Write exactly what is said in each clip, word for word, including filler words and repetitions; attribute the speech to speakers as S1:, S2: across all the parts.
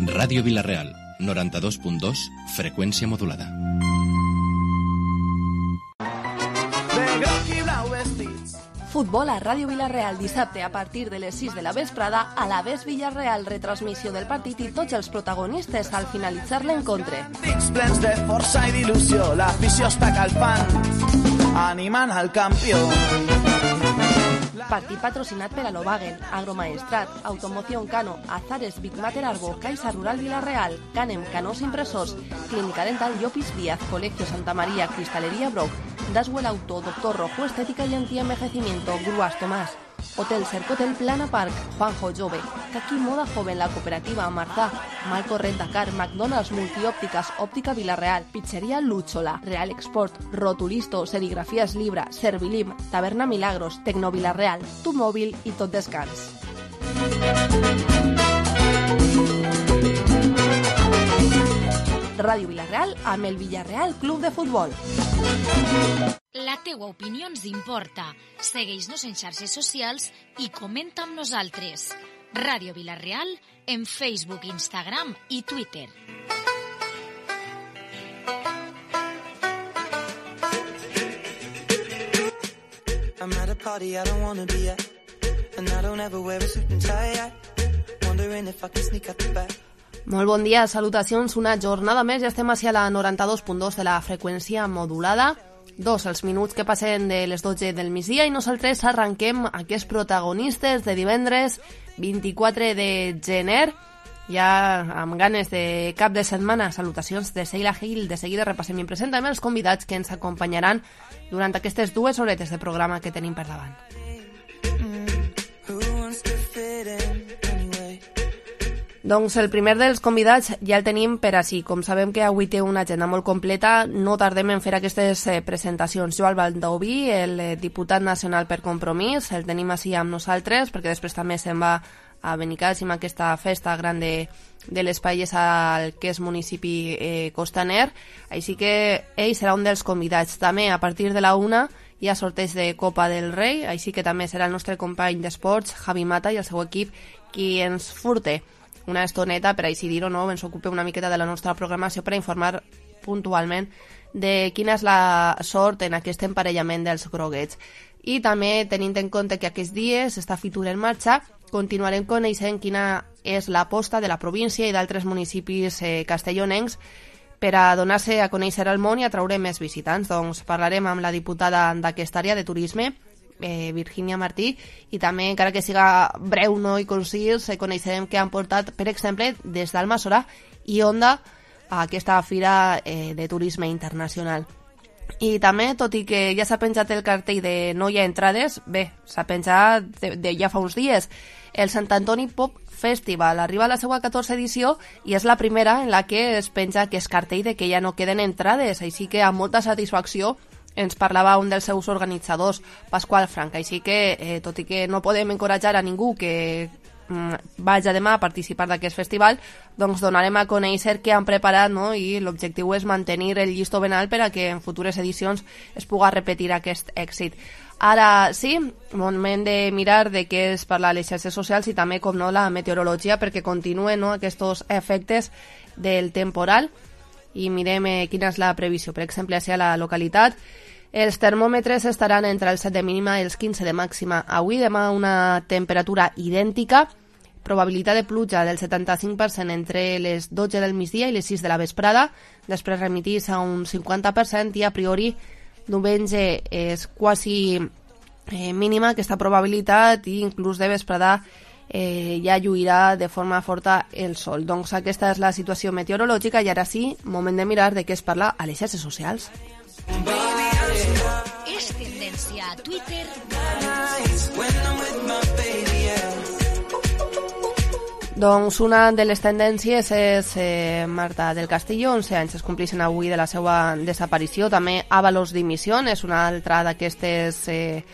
S1: Ràdio Vila-real, noranta-dos punt dos, freqüència modulada.
S2: Futbol a Ràdio Vila-real dissabte a partir de les sis de la vesprada, a la Ves Villarreal, retransmissió del partit i tots els protagonistes al finalitzar l'encontre.
S3: Plens de força i d'il·lusió, l'afició està calfant, animant al campió.
S2: Partit patrocinat per Alobagen, Agromaestrat, Automoción Cano, Azares Big Mater Arbo, Caixa Rural Vila-real, Canem Canós Impresors, Clínica Dental Llopis Díaz, Colegio Santa María, Cristalería Brock, Daswell Auto, Doctor Rojo Estética y Antienvejecimiento, Gruas Tomás, Hotel Cercotel Plana Park, Juanjo Jove, Kaki Moda Joven, La Cooperativa Martà, Malco Rentacar, McDonald's Multiópticas, Óptica Vila-real, Pizzería Lúchola, Real Export, Rotulisto, Serigrafías Libra, Servilim, Taberna Milagros, Tecno Vila-real, Tu Mòbil i Tot Descans. Ràdio Vila-real amb el Villarreal Club de Futbol.
S4: La teua opinió ens importa. Segueix-nos en xarxes socials i comenta amb nosaltres. Ràdio Vila-real en Facebook, Instagram i Twitter.
S5: I'm at a party I don't wanna be at, and I don't ever wear a suit and tie yet. Wondering if I can sneak out the back.
S2: Molt bon dia, salutacions, una jornada més, ja estem hacia la noranta-dos punt dos de la freqüència modulada, dos els minuts que passen de les dotze del migdia i nosaltres arranquem aquests protagonistes de divendres vint-i-quatre de gener, ja amb ganes de cap de setmana. Salutacions de Sheila Gil, de seguida repassem i presentem els convidats que ens acompanyaran durant aquestes dues horetes de programa que tenim per davant. Doncs el primer dels convidats ja el tenim per així. Com sabem que avui té una agenda molt completa, no tardem en fer aquestes eh, presentacions. Joan Baldoví, el eh, diputat nacional per Compromís, el tenim així amb nosaltres, perquè després també se'n va a Benicàssim, aquesta festa gran de, de les Paelles al que és municipi eh, costaner. Així que ell serà un dels convidats. També a partir de la una hi ha sorteig de Copa del Rei, així que també serà el nostre company d'esports, Javi Mata, i el seu equip qui ens furte una estoneta, per així dir-ho, no? Ens ocupa una miqueta de la nostra programació per informar puntualment de quina és la sort en aquest emparellament dels groguets. I també, tenint en compte que aquests dies està Fitur en marxa, continuarem coneixent quina és l'aposta de la província i d'altres municipis eh, castellonencs per a donar-se a conèixer al món i atraure més visitants. Doncs parlarem amb la diputada d'aquesta àrea de turisme, Eh, Virginia Martí, i també, encara que siga breu, no, i concís, eh, coneixerem que han portat, per exemple, des d'Almassora i Onda a aquesta fira eh, de turisme internacional. I també, tot i que ja s'ha penjat el cartell de no hi ha entrades, bé, s'ha penjat de, de ja fa uns dies, el Sant Antoni Pop Festival arriba a la seva catorze edició i és la primera en la que es penja aquest cartell de que ja no queden entrades, així que amb molta satisfacció ens parlava un dels seus organitzadors, Pasqual Franca. Així que, eh, tot i que no podem encoratjar a ningú que mm, vagi demà a participar d'aquest festival, doncs donarem a conèixer què han preparat, no? I l'objectiu és mantenir el llistó ben alt per a que en futures edicions es pugui repetir aquest èxit. Ara sí, moment de mirar de què es parla a les xarxes socials i també, com no, la meteorologia, perquè continuen, no, aquests efectes del temporal. I mirem eh, quina és la previsió. Per exemple, a la localitat, els termòmetres estaran entre els set de mínima i els quinze de màxima. Avui, demà, una temperatura idèntica, probabilitat de pluja del setanta-cinc per cent entre les dotze del migdia i les sis de la vesprada, després remitís a un cinquanta per cent i a priori diumenge és quasi eh, mínima aquesta probabilitat i inclús de vesprada Eh, ja lluirà de forma forta el sol. Doncs aquesta és la situació meteorològica i ara sí, moment de mirar de què es parla a les xarxes socials.
S4: És tendència a Twitter.
S2: Doncs una de les tendències és eh, Marta del Castillo, onze anys es complixen avui de la seva desaparició. També Ábalos Dimisión és una altra d'aquestes eh,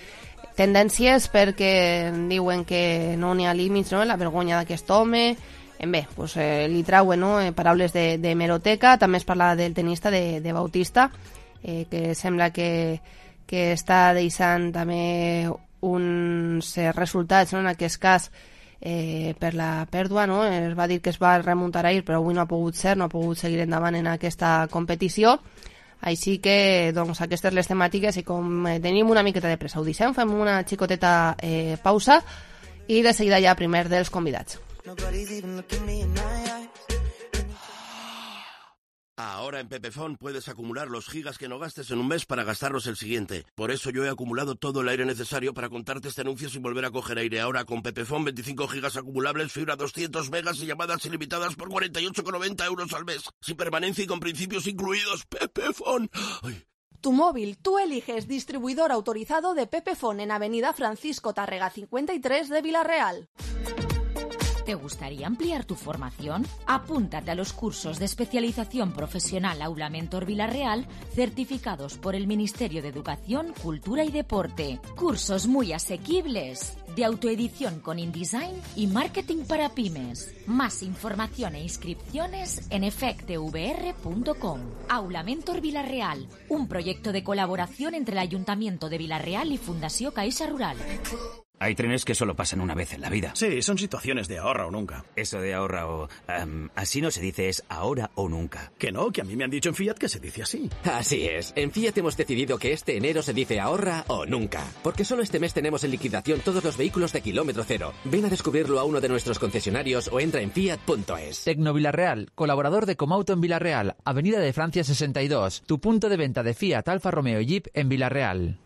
S2: tendències, perquè diuen que no n'hi ha límits, no?, la vergonya d'aquest home. Bé, pues, eh, li trauen, no?, eh, paraules de, de hemeroteca. També es parla del tenista de, de Bautista, eh, que sembla que, que està deixant també uns eh, resultats, no?, en aquest cas eh, per la pèrdua, no? Es va dir que es va remuntar ahir, però avui no ha pogut ser, no ha pogut seguir endavant en aquesta competició. Així que, doncs, aquestes les temàtiques, i com eh, tenim una miqueta de pressa, ho deixem, fem una xicoteta eh, pausa i de seguida ja primer dels convidats.
S6: Ahora en Pepefon puedes acumular los gigas que no gastes en un mes para gastarlos el siguiente. Por eso yo he acumulado todo el aire necesario para contarte este anuncio sin volver a coger aire. Ahora con Pepefon, veinticinco gigas acumulables, fibra doscientos megas y llamadas ilimitadas por cuarenta y ocho con noventa euros al mes. Sin permanencia y con principios incluidos. Pepefon. Ay.
S7: Tu móvil, tú eliges distribuidor autorizado de Pepefon en Avenida Francisco Tárrega cincuenta y tres de Villarreal.
S4: ¿Te gustaría ampliar tu formación? Apúntate a los cursos de especialización profesional Aula Mentor Villarreal, certificados por el Ministerio de Educación, Cultura y Deporte. Cursos muy asequibles, de autoedición con InDesign y marketing para pymes. Más información e inscripciones en efectevr punto com. Aula Mentor Villarreal, un proyecto de colaboración entre el Ayuntamiento de Villarreal y Fundació Caixa Rural.
S8: Hay trenes que solo pasan una vez en la vida.
S9: Sí, son situaciones de ahorra o nunca.
S8: Eso de ahorra o... Um, así no se dice, es ahora o nunca.
S9: Que no, que a mí me han dicho en Fiat que se dice así.
S10: Así es. En Fiat hemos decidido que este enero se dice ahorra o nunca. Porque solo este mes tenemos en liquidación todos los vehículos de kilómetro cero. Ven a descubrirlo a uno de nuestros concesionarios o entra en fiat punto es.
S11: Tecno Villarreal, colaborador de Comauto en Villarreal, Avenida de Francia sesenta y dos. Tu punto de venta de Fiat, Alfa Romeo y Jeep en Villarreal.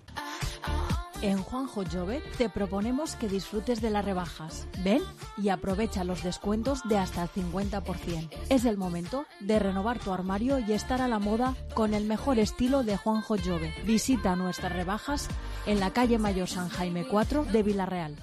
S7: En Juanjo Jove te proponemos que disfrutes de las rebajas. Ven y aprovecha los descuentos de hasta el cincuenta por ciento. Es el momento de renovar tu armario y estar a la moda con el mejor estilo de Juanjo Jove. Visita nuestras rebajas en la calle Mayor San Jaime cuatro de Villarreal.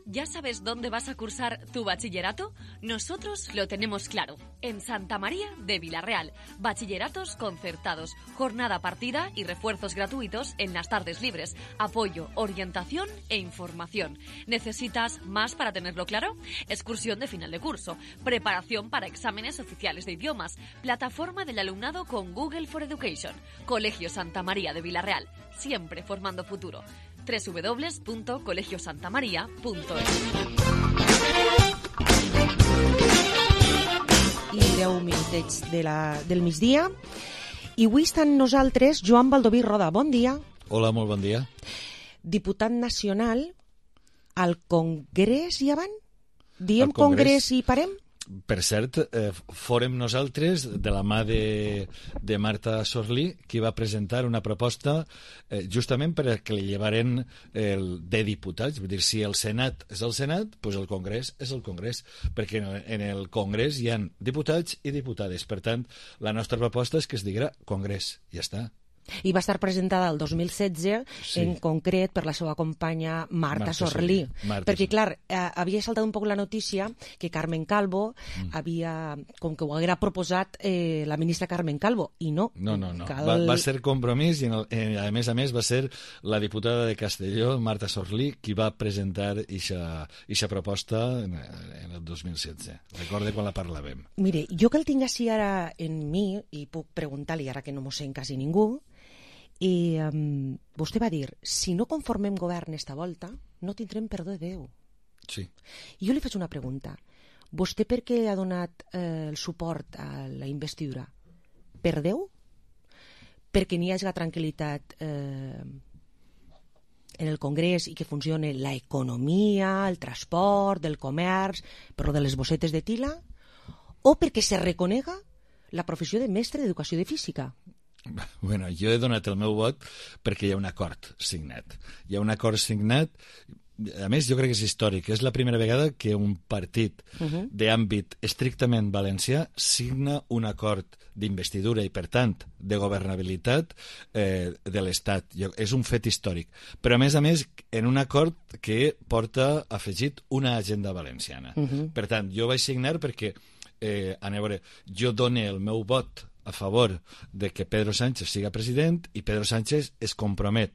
S12: ¿Ya sabes dónde vas a cursar tu bachillerato? Nosotros lo tenemos claro. En Santa María de Villarreal. Bachilleratos concertados, jornada partida y refuerzos gratuitos en las tardes libres. Apoyo, orientación e información. ¿Necesitas más para tenerlo claro? Excursión de final de curso, preparación para exámenes oficiales de idiomas, plataforma del alumnado con Google for Education. Colegio Santa María de Villarreal, siempre formando futuro. doble u doble u doble u punto colegio santa maria punto es.
S13: I deu minutets de la, del migdia. I avui estan nosaltres Joan Baldoví Roda. Bon dia.
S14: Hola, molt bon dia.
S13: Diputat nacional al Congrés i avant? Diem Congrés. Congrés i parem?
S14: Per cert, eh, fórem nosaltres, de la mà de, de Marta Sorlí, qui va presentar una proposta eh, justament perquè li llevaren el, de diputats. Vull dir, si el Senat és el Senat, doncs el Congrés és el Congrés, perquè en el Congrés hi ha diputats i diputades. Per tant, la nostra proposta és que es digui Congrés. Ja està.
S13: I va estar presentada el dos mil setze, sí. En concret per la seva companya Marta, Marta Sorlí. Marta perquè, clar, eh, havia saltat un poc la notícia que Carmen Calvo mm. havia, com que ho haguera proposat eh, la ministra Carmen Calvo, i no.
S14: No, no, no. Cal... Va, va ser compromís i, en el, eh, a més a més, va ser la diputada de Castelló, Marta Sorlí, qui va presentar aquesta proposta en, en el dos mil setze. Recorde quan la parlàvem.
S13: Mire, jo que el tinc així ara en mi, i puc preguntar-li ara que no m'ho sent quasi ningú, i um, vostè va dir, si no conformem govern esta volta, no tindrem perdó de Déu.
S14: Sí.
S13: I jo li faig una pregunta. Vostè per què ha donat eh, el suport a la investidura? Per Déu? Perquè n'hi hagi la tranquil·litat eh, en el Congrés i que funcione l'economia, el transport, el comerç, però de les bossetes de tila? O perquè se reconega la professió de mestre d'educació de física?
S14: Bueno, jo he donat el meu vot perquè hi ha un acord signat. Hi ha un acord signat, a més jo crec que és històric, és la primera vegada que un partit uh-huh. d'àmbit estrictament valencià signa un acord d'investidura i, per tant, de governabilitat eh, de l'Estat. És un fet històric. Però, a més a més, en un acord que porta afegit una agenda valenciana. Uh-huh. Per tant, jo vaig signar perquè, eh, a veure, jo dono el meu vot a favor de que Pedro Sánchez siga president i Pedro Sánchez es compromet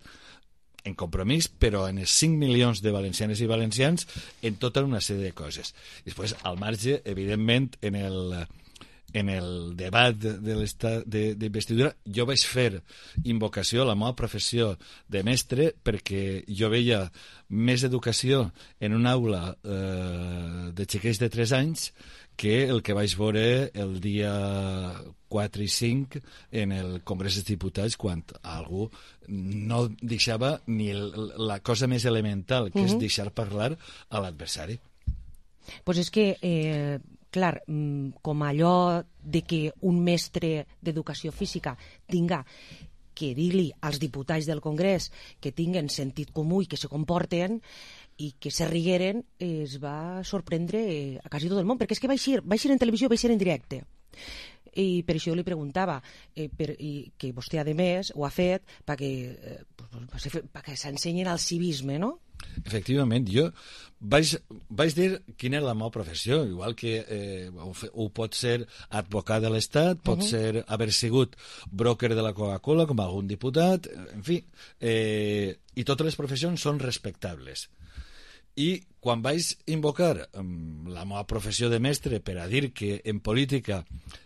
S14: en compromís, però en els cinc milions de valencianes i valencians en tota una sèrie de coses. I després, al marge, evidentment, en el, en el debat de l'estat d'investidura, jo vaig fer invocació a la meva professió de mestre perquè jo veia més educació en una aula eh, de xiquets de tres anys que el que vaig veure el dia quatre i cinc en el Congrés dels Diputats quan algú no deixava ni el, la cosa més elemental, que uh-huh. és deixar parlar a l'adversari.
S13: Pues és que, eh, clar, com allò de que un mestre d'educació física tinga que dir-li als diputats del Congrés que tinguen sentit comú i que se comporten i que se rigueren, es va sorprendre a quasi tot el món, perquè és que va eixir, va eixir en televisió, va eixir en directe. I per això jo li preguntava eh, per, i que vostè, a més, ho ha fet perquè, eh, perquè s'ensenyen al civisme, no?
S14: Efectivament, jo vaig, vaig dir quina era la meva professió, igual que eh, ho, ho pot ser advocat de l'Estat, pot uh-huh. ser haver sigut broker de la Coca-Cola, com algun diputat, en fi, eh, i totes les professions són respectables. I quan vaig invocar um, la meva professió de mestre per a dir que en política,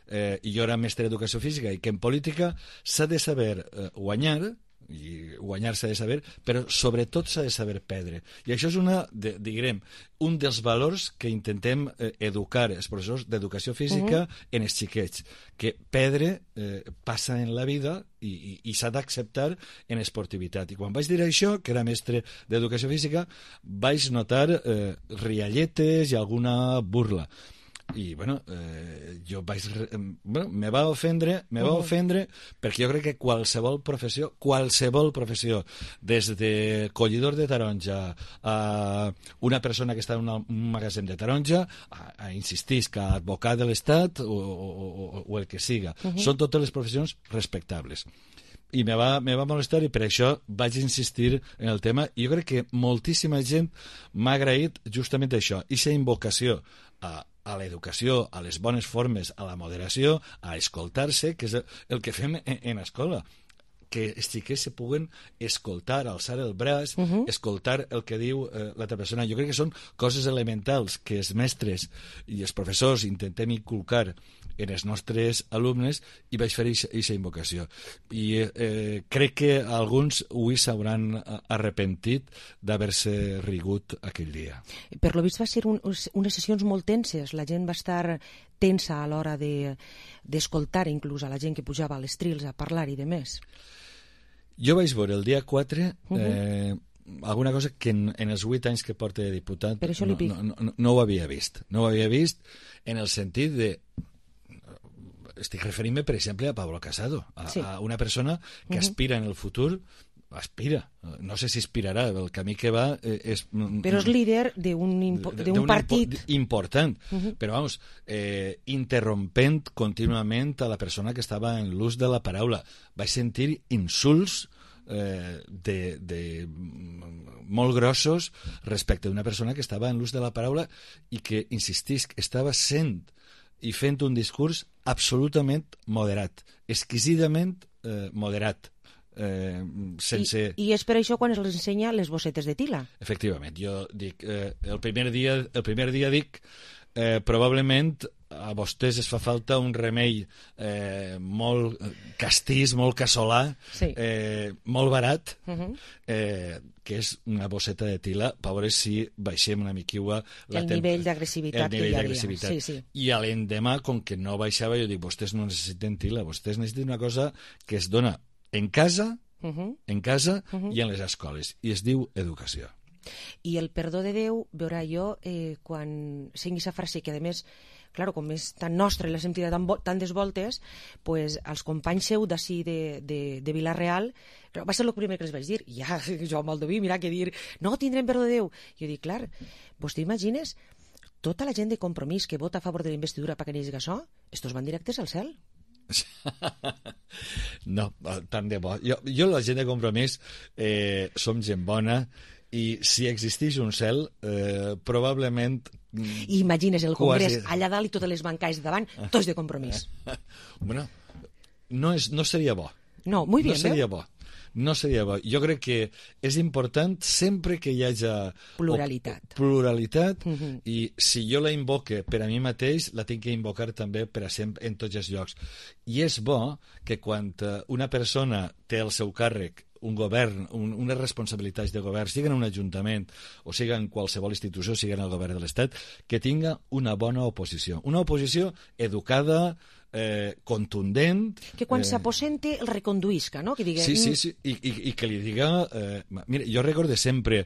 S14: eh, i jo era mestre d'educació física, i que en política s'ha de saber eh, guanyar, i guanyar s'ha de saber, però sobretot s'ha de saber perdre. I això és una, de, diguem, un dels valors que intentem eh, educar els professors d'educació física uh-huh. en els xiquets, que perdre eh, passa en la vida i, i, i s'ha d'acceptar en esportivitat. I quan vaig dir això, que era mestre d'educació física, vaig notar eh, rialletes i alguna burla. I, bueno, eh, jo vaig... Bueno, me va ofendre, me va ofendre perquè jo crec que qualsevol professió, qualsevol professió, des de collidor de taronja a una persona que està en un magatzem de taronja, a, a insistir que advocat de l'Estat o, o, o, o el que siga, uh-huh. són totes les professions respectables. I me va, me va molestar i per això vaig insistir en el tema i jo crec que moltíssima gent m'ha agraït justament això, aquesta invocació a, a l'educació, a les bones formes, a la moderació, a escoltar-se, que és el, el que fem en, en escola, que els xiquets se puguen escoltar, alçar el braç, uh-huh. escoltar el que diu eh, l'altra persona. Jo crec que són coses elementals que els mestres i els professors intentem inculcar en els nostres alumnes i vaig fer aquesta invocació. I eh, crec que alguns avui s'hauran arrepentit d'haver-se rigut aquell dia.
S13: Per lo vist va ser un, unes sessions molt tenses. La gent va estar tensa a l'hora de, d'escoltar inclús a la gent que pujava a les trils a parlar i de més.
S14: Jo vaig veure el dia quatre eh, uh-huh. alguna cosa que en, en els vuit anys que porta de diputat no, no, no, no ho havia vist. No ho havia vist en el sentit de... Estic referint-me, per exemple, a Pablo Casado, a, sí. a una persona que uh-huh. aspira en el futur, aspira, no sé si aspirarà, el camí que va eh, és...
S13: Però és líder d'un impo- d'un partit...
S14: Impo- important, uh-huh. però vamos, eh, interrompent contínuament a la persona que estava en l'ús de la paraula. Vaig sentir insults eh, de, de molt grossos respecte d'una persona que estava en l'ús de la paraula i que, insistisc, estava sent i fent un discurs absolutament moderat, exquisidament eh, moderat. Eh, sense...
S13: I, I és per això quan els ensenya les bossetes de Tila.
S14: Efectivament, jo dic, eh, el, primer dia, el primer dia dic, eh, probablement a vostès es fa falta un remei eh, molt castís, molt casolà, sí. eh, molt barat, uh-huh. eh, que és una bosseta de Tila, per veure si baixem una miquiua
S13: el tem- nivell d'agressivitat
S14: el nivell
S13: que hi
S14: d'agressivitat.
S13: havia. Sí, sí.
S14: I a l'endemà, com que no baixava, jo dic, vostès no necessiten Tila, vostès necessiten una cosa que es dona en casa, uh-huh. en casa uh-huh. i en les escoles, i es diu educació.
S13: I el perdó de Déu, veurà jo, eh, quan sengui aquesta frase, que a més, claro, com és tan nostra i l'ha sentit tan tantes voltes, pues, als companys seu d'ací de, de, de Vila-real, va ser el primer que els vaig dir, i ja, jo amb el Doví, mira que dir, no tindrem perdó de Déu. Jo dic, clar, vos t'imagines tota la gent de Compromís que vota a favor de la investidura perquè n'hi hagi això, estos van directes al cel.
S14: No, tant de bo. Jo, jo la gent de Compromís eh, som gent bona i si existeix un cel eh, probablement...
S13: I imagines el Congrés quasi... allà dalt i totes les bancades de davant, tots de Compromís.
S14: Bueno, no, és, no seria bo.
S13: No, muy bien,
S14: no seria bo. no seria bo. Jo crec que és important sempre que hi hagi
S13: pluralitat,
S14: pluralitat uh -huh. i si jo la invoque per a mi mateix, la tinc que invocar també per a sempre en tots els llocs. I és bo que quan una persona té al seu càrrec un govern, un, unes responsabilitats de govern, sigui en un ajuntament o sigui en qualsevol institució, sigui en el govern de l'Estat, que tinga una bona oposició. Una oposició educada, eh, contundent...
S13: Que quan
S14: eh...
S13: s'aposente el reconduïsca, no? Que diga...
S14: Sí, sí, sí, I, i, i que li diga... Eh, mira, jo recorde sempre,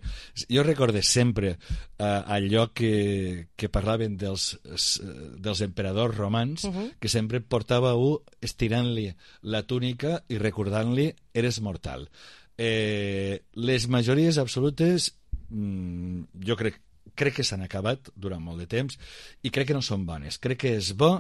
S14: jo recorde sempre eh, allò que, que parlaven dels, dels emperadors romans, uh -huh. que sempre portava un estirant-li la túnica i recordant-li eres mortal. Eh, les majories absolutes, mmm, jo crec crec que s'han acabat durant molt de temps i crec que no són bones. Crec que és bo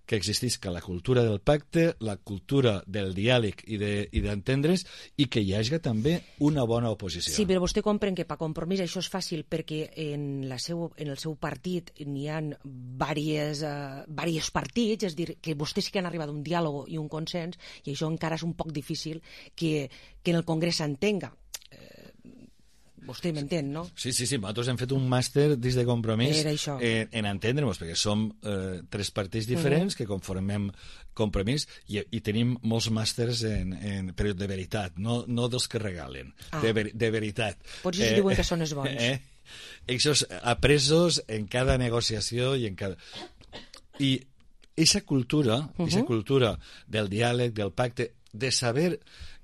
S14: que existisca la cultura del pacte, la cultura del diàleg i d'entendre's de, i que hi hagi també una bona oposició.
S13: Sí, però vostè comprèn que per Compromís això és fàcil perquè en, la seu, en el seu partit n'hi ha diversos uh, partits, és a dir, que vostès sí que han arribat a un diàleg i un consens i això encara és un poc difícil que, que en el Congrés s'entenga. Vostè m'entén, no?
S14: Sí, sí, sí. Nosaltres hem fet un màster dins de Compromís
S13: en,
S14: en entendre-nos, perquè som eh, tres partits diferents uh -huh. que conformem Compromís i, i tenim molts màsters en, en, però de veritat, no, no dels que regalen, ah. de, ver, de veritat.
S13: Potser eh, diuen que són els bons.
S14: Eh, Eixos apresos en cada negociació i en cada... I aquesta cultura, uh -huh. cultura del diàleg, del pacte, de saber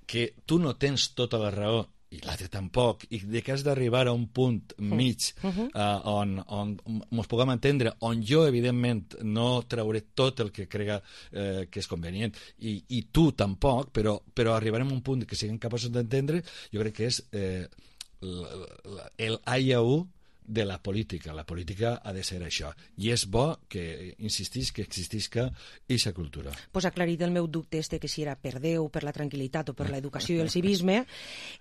S14: que tu no tens tota la raó i l'altre tampoc, i de que has d'arribar a un punt mig uh -huh. uh, on, on ens puguem entendre, on jo, evidentment, no trauré tot el que crega eh, que és convenient, i, i tu tampoc, però, però arribarem a un punt que siguem capaços d'entendre, jo crec que és eh, el A i U de la política. La política ha de ser això. I és bo que insistís que existisca aquesta cultura.
S13: Pues aclarit el meu dubte este que si era per Déu, per la tranquil·litat o per l'educació i el civisme.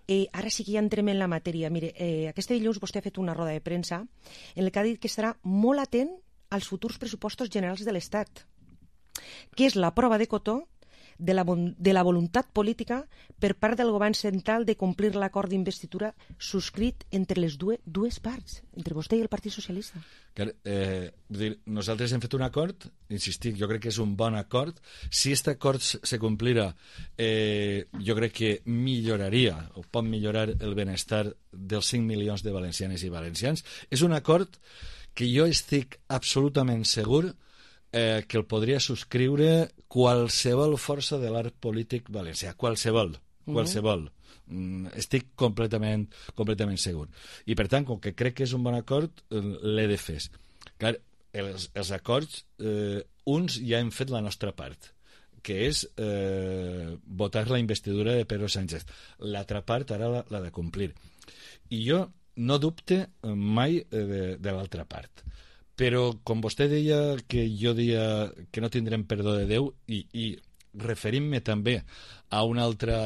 S13: Eh, ara sí que ja entrem en la matèria. Mire, eh, aquest dilluns vostè ha fet una roda de premsa en què ha dit que estarà molt atent als futurs pressupostos generals de l'Estat, que és la prova de cotó de la, de la voluntat política per part del govern central de complir l'acord d'investidura subscrit entre les dues, dues parts, entre vostè i el Partit Socialista.
S14: Que, eh, dir, nosaltres hem fet un acord, insistic, jo crec que és un bon acord. Si aquest acord se complira, eh, jo crec que milloraria, o pot millorar el benestar dels cinc milions de valencianes i valencians. És un acord que jo estic absolutament segur Eh, que el podria subscriure qualsevol força de l'art polític valencià, qualsevol, qualsevol. Mm, estic completament, completament segur. I per tant, com que crec que és un bon acord, l'he de fer. Clar, els, els acords, eh, uns ja hem fet la nostra part, que és eh, votar la investidura de Pedro Sánchez. L'altra part ara la, la de complir. I jo no dubte mai eh, de, de l'altra part. Però, com vostè deia que jo deia que no tindrem perdó de Déu, i, i referint-me també a una altra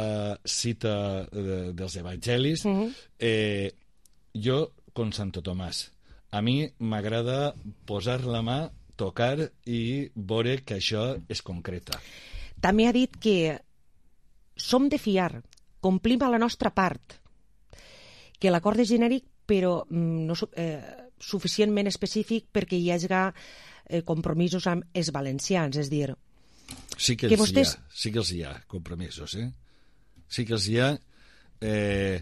S14: cita de, dels evangelis, uh -huh. eh, jo, com Santo Tomàs, a mi m'agrada posar la mà, tocar i veure que això es concreta.
S13: També ha dit que som de fiar, complim a la nostra part, que l'acord és genèric, però no... Eh, suficientment específic perquè hi hagi eh, compromisos amb els valencians, és dir...
S14: Sí que, que els vostès... hi ha, sí que els hi ha, compromisos, eh? Sí que els hi ha, eh,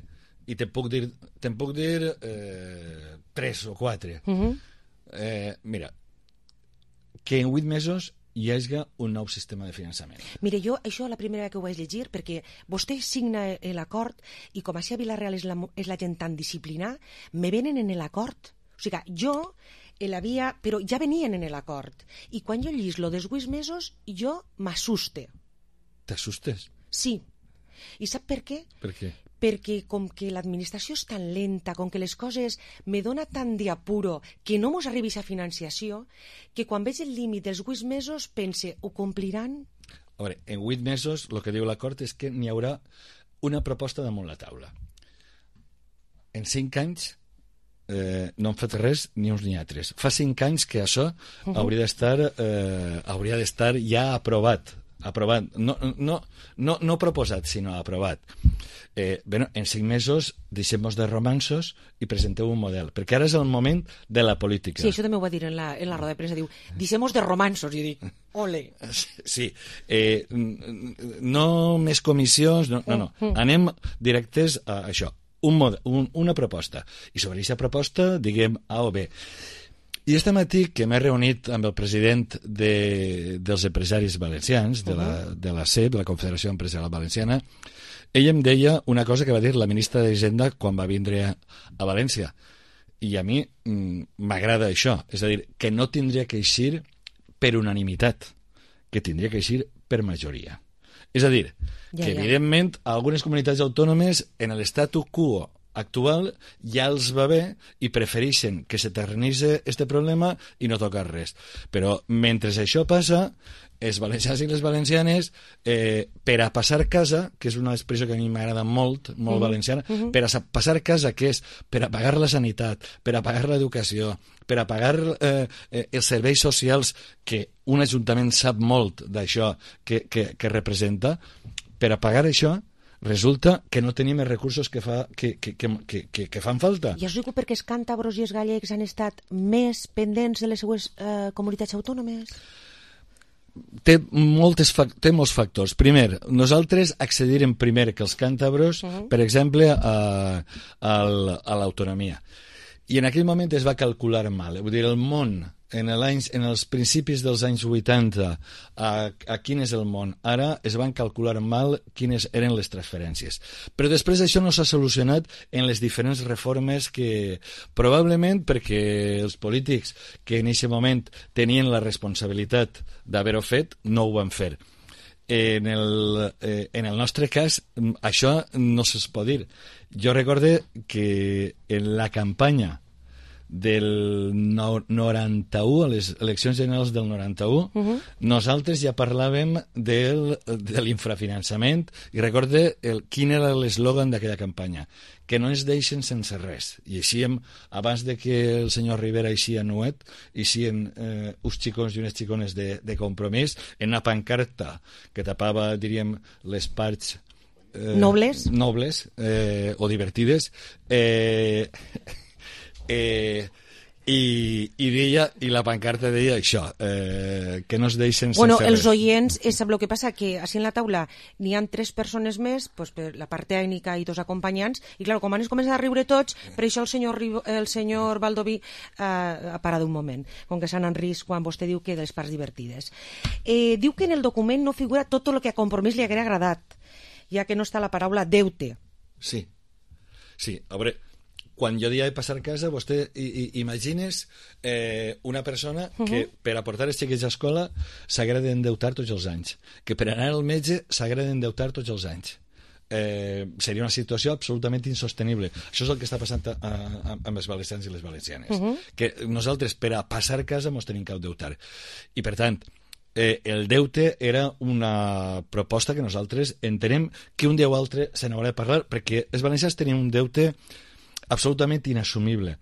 S14: i te'n puc dir, te'n puc dir eh, tres o quatre. Uh -huh. eh, mira, que en vuit mesos hi hagi un nou sistema de finançament.
S13: Mire, jo això la primera vegada que ho vaig llegir, perquè vostè signa l'acord i com així a Vila-real és la, és la gent tan disciplinada, me venen en l'acord. O sigui, jo l'havia... Però ja venien en l'acord. I quan jo llis lo dels vuit mesos, jo m'assuste.
S14: T'assustes?
S13: Sí. I sap per què?
S14: Per què?
S13: Perquè com que l'administració és tan lenta, com que les coses me dona tant d'apuro que no mos arribi a financiació, que quan veig el límit dels vuit mesos pense, ho compliran?
S14: A veure, en vuit mesos el que diu l'acord és que n'hi haurà una proposta damunt la taula. En cinc anys Eh, no han fet res ni uns ni altres. Fa cinc anys que això uh -huh. hauria d'estar eh, hauria d'estar ja aprovat aprovat, no, no, no, no proposat sinó aprovat. eh, bueno, en cinc mesos deixem-nos de romansos i presenteu un model, perquè ara és el moment de la política.
S13: Sí, això també ho va dir en la, en la roda de premsa, diu, deixem-nos de romansos, i dic, ole.
S14: Sí, eh, no més comissions, no, no, no, anem directes a això, un model, un, una proposta, i sobre aquesta proposta diguem A o B. I este matí que m'he reunit amb el president de, dels empresaris valencians, de la, de la C E P, la Confederació Empresarial Valenciana, ell em deia una cosa que va dir la ministra d'Hisenda quan va vindre a, a València. I a mi m'agrada això, és a dir, que no tindria que eixir per unanimitat, que tindria que eixir per majoria. És a dir, ja, que ja. evidentment algunes comunitats autònomes en l'estatu quo actual ja els va bé i prefereixen que s'eternitzi este problema i no tocar res. Però mentre això passa, els valencians i les valencianes, eh, per a passar casa, que és una expressió que a mi m'agrada molt, molt uh-huh. valenciana, uh-huh. per a passar casa, que és per a pagar la sanitat, per a pagar l'educació, per a pagar eh, eh, els serveis socials, que un ajuntament sap molt d'això que, que, que representa, per a pagar això, resulta que no tenim els recursos que, fa, que, que, que, que, que fan falta.
S13: I us dic perquè els càntabros i els gallecs han estat més pendents de les seues eh, comunitats autònomes?
S14: Té, moltes, té molts factors. Primer, nosaltres accedirem primer que els càntabros, uh-huh. per exemple, a, a, a l'autonomia. I en aquell moment es va calcular mal. Vull dir, el món, en, en els principis dels anys vuitanta, a, a quin és el món? Ara es van calcular mal quines eren les transferències. Però després això no s'ha solucionat en les diferents reformes que, probablement perquè els polítics que en aquest moment tenien la responsabilitat d'haver-ho fet, no ho van fer. En el, eh, en el nostre cas, això no se'ls pot dir. Jo recorde que en la campanya del no, noranta-u, a les eleccions generals del noranta-u, uh-huh. nosaltres ja parlàvem del, de l'infrafinançament, i recorde el, quin era l'eslògan d'aquella campanya, que no ens deixen sense res. I així, abans de que el senyor Rivera eixia nuet, eixien eh, uns xicons i unes xicones de, de compromís en una pancarta que tapava, diríem, les parts eh,
S13: nobles,
S14: nobles eh, o divertides, eh, Eh, i, i deia, i la pancarta deia això, eh, que no es deixen sense
S13: bueno,
S14: res.
S13: Els oients, és el que passa, que així en la taula n'hi ha tres persones més, pues, per la part tècnica i dos acompanyants, i clar, com han començat a riure tots, per això el senyor, el senyor Baldoví eh, ha parat un moment, com que s'han en risc quan vostè diu que de les parts divertides. Eh, diu que en el document no figura tot el que a Compromís li haguera agradat, ja que no està la paraula deute.
S14: Sí, sí, a veure, quan jo dia de passar casa, vostè i, i, imagines eh, una persona uh-huh. que per aportar els xiquets a escola s'haguera d'endeutar tots els anys, que per anar al metge s'haguera d'endeutar tots els anys. Eh, seria una situació absolutament insostenible. Això és el que està passant a, a, amb els valencians i les valencianes. Uh-huh. Que nosaltres, per a passar casa, ens tenim que endeutar. I, per tant, eh, el deute era una proposta que nosaltres entenem que un dia o altre se n'haurà de parlar, perquè els valencians tenien un deute absolutament inassumible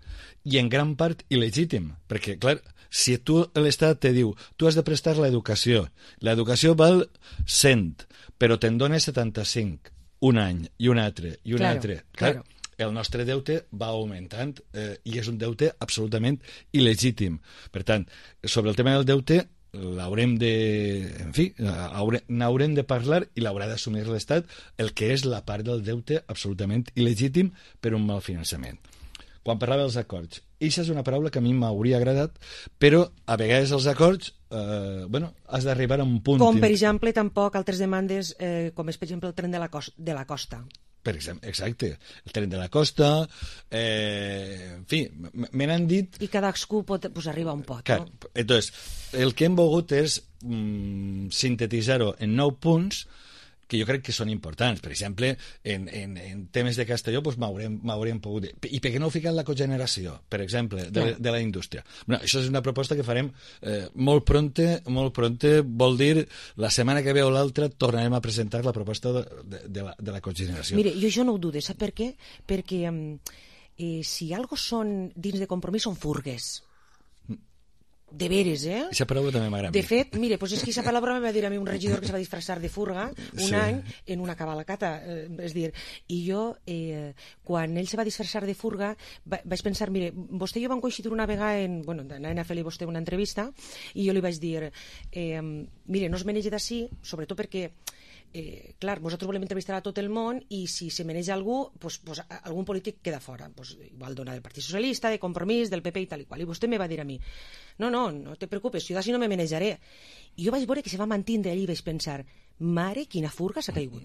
S14: i en gran part il·legítim, perquè clar, si tu l'Estat te diu tu has de prestar l'educació, l'educació val cent, però te'n dona setanta-cinc un any i un altre i un claro, altre clar, claro. El nostre deute va augmentant eh, i és un deute absolutament il·legítim. Per tant, sobre el tema del deute l'haurem de, en fi, n'haurem de parlar i l'haurà d'assumir l'Estat, el que és la part del deute absolutament il·legítim per un mal finançament. Quan parlava dels acords, això és una paraula que a mi m'hauria agradat, però a vegades els acords, eh, bueno, has d'arribar a un punt...
S13: Com, per exemple, tampoc altres demandes, eh, com és, per exemple, el tren de la, costa, de la costa.
S14: Per exemple, exacte, el tren de la costa, eh, en fi, me n'han dit...
S13: I cadascú pot, pues, arriba un pot,
S14: clar,
S13: no?
S14: Entonces, el que hem volgut és mm, sintetitzar-ho en nou punts que jo crec que són importants. Per exemple, en, en, en temes de Castelló pues, m'haurem pogut dir. I per què no ho ficat la cogeneració, per exemple, de, de la indústria? Bueno, això és una proposta que farem eh, molt pronte, molt pronte, vol dir la setmana que ve o l'altra tornarem a presentar la proposta de, de, de, la, de la cogeneració.
S13: Mire, jo això no ho dudo, sap per què? Perquè eh, si algo són dins de Compromís són furgues. De veres, eh?
S14: Aquesta paraula també m'agrada.
S13: De fet, mire, pues és que aquesta paraula me va dir a mi un regidor que se va disfressar de furga un
S14: Sí.
S13: any en una cabalcata, eh, és dir, i jo, eh, quan ell se va disfressar de furga, va, vaig pensar, mire, vostè i jo vam coincidir una vegada en, bueno, anaven a fer-li vostè una entrevista, i jo li vaig dir, eh, mire, no es menege d'ací, sobretot perquè Eh, clar, nosaltres volem entrevistar a tot el món i si se maneja algú, pues, pues, algun polític queda fora. Pues, igual dona del Partit Socialista, de Compromís, del P P i tal i qual. I vostè me va dir a mi, no, no, no te preocupes, jo d'ací no me manejaré. I jo vaig veure que se va mantindre allí i vaig pensar, mare, quina furga s'ha caigut.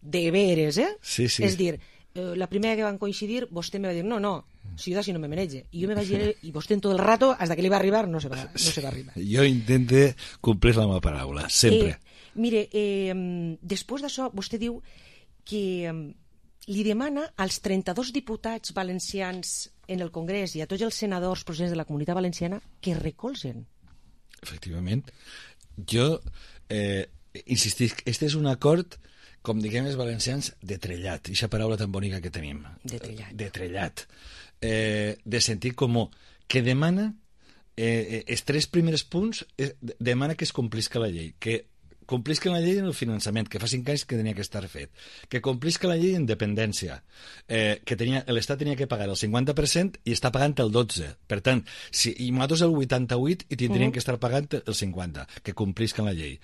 S13: De veres, eh?
S14: Sí, sí.
S13: És dir, eh, la primera que van coincidir, vostè me va dir, no, no, si jo d'ací no me manege. I jo me vaig dir, i vostè en tot el rato, hasta que li va arribar, no se va, no se va arribar.
S14: Jo intente complir la meva paraula, sempre.
S13: Eh, mire, eh, després d'això, vostè diu que eh, li demana als trenta-dos diputats valencians en el Congrés i a tots els senadors procedents de la Comunitat Valenciana que recolzen.
S14: Efectivament. Jo eh, insistisc, este és un acord, com diguem els valencians, de trellat, aquesta paraula tan bonica que tenim.
S13: De trellat.
S14: De trellat. Eh, de sentit comú, que demana, eh, els tres primers punts, eh, demana que es complisca la llei, que complisca la llei en el finançament, que fa cinc anys que tenia que estar fet, que complisca la llei en dependència, eh, que tenia, l'Estat tenia que pagar el cinquanta per cent i està pagant el dotze per cent. Per tant, si, i nosaltres el vuitanta-vuit i tindrien uh-huh. que estar pagant el cinquanta per cent, que complisca la llei.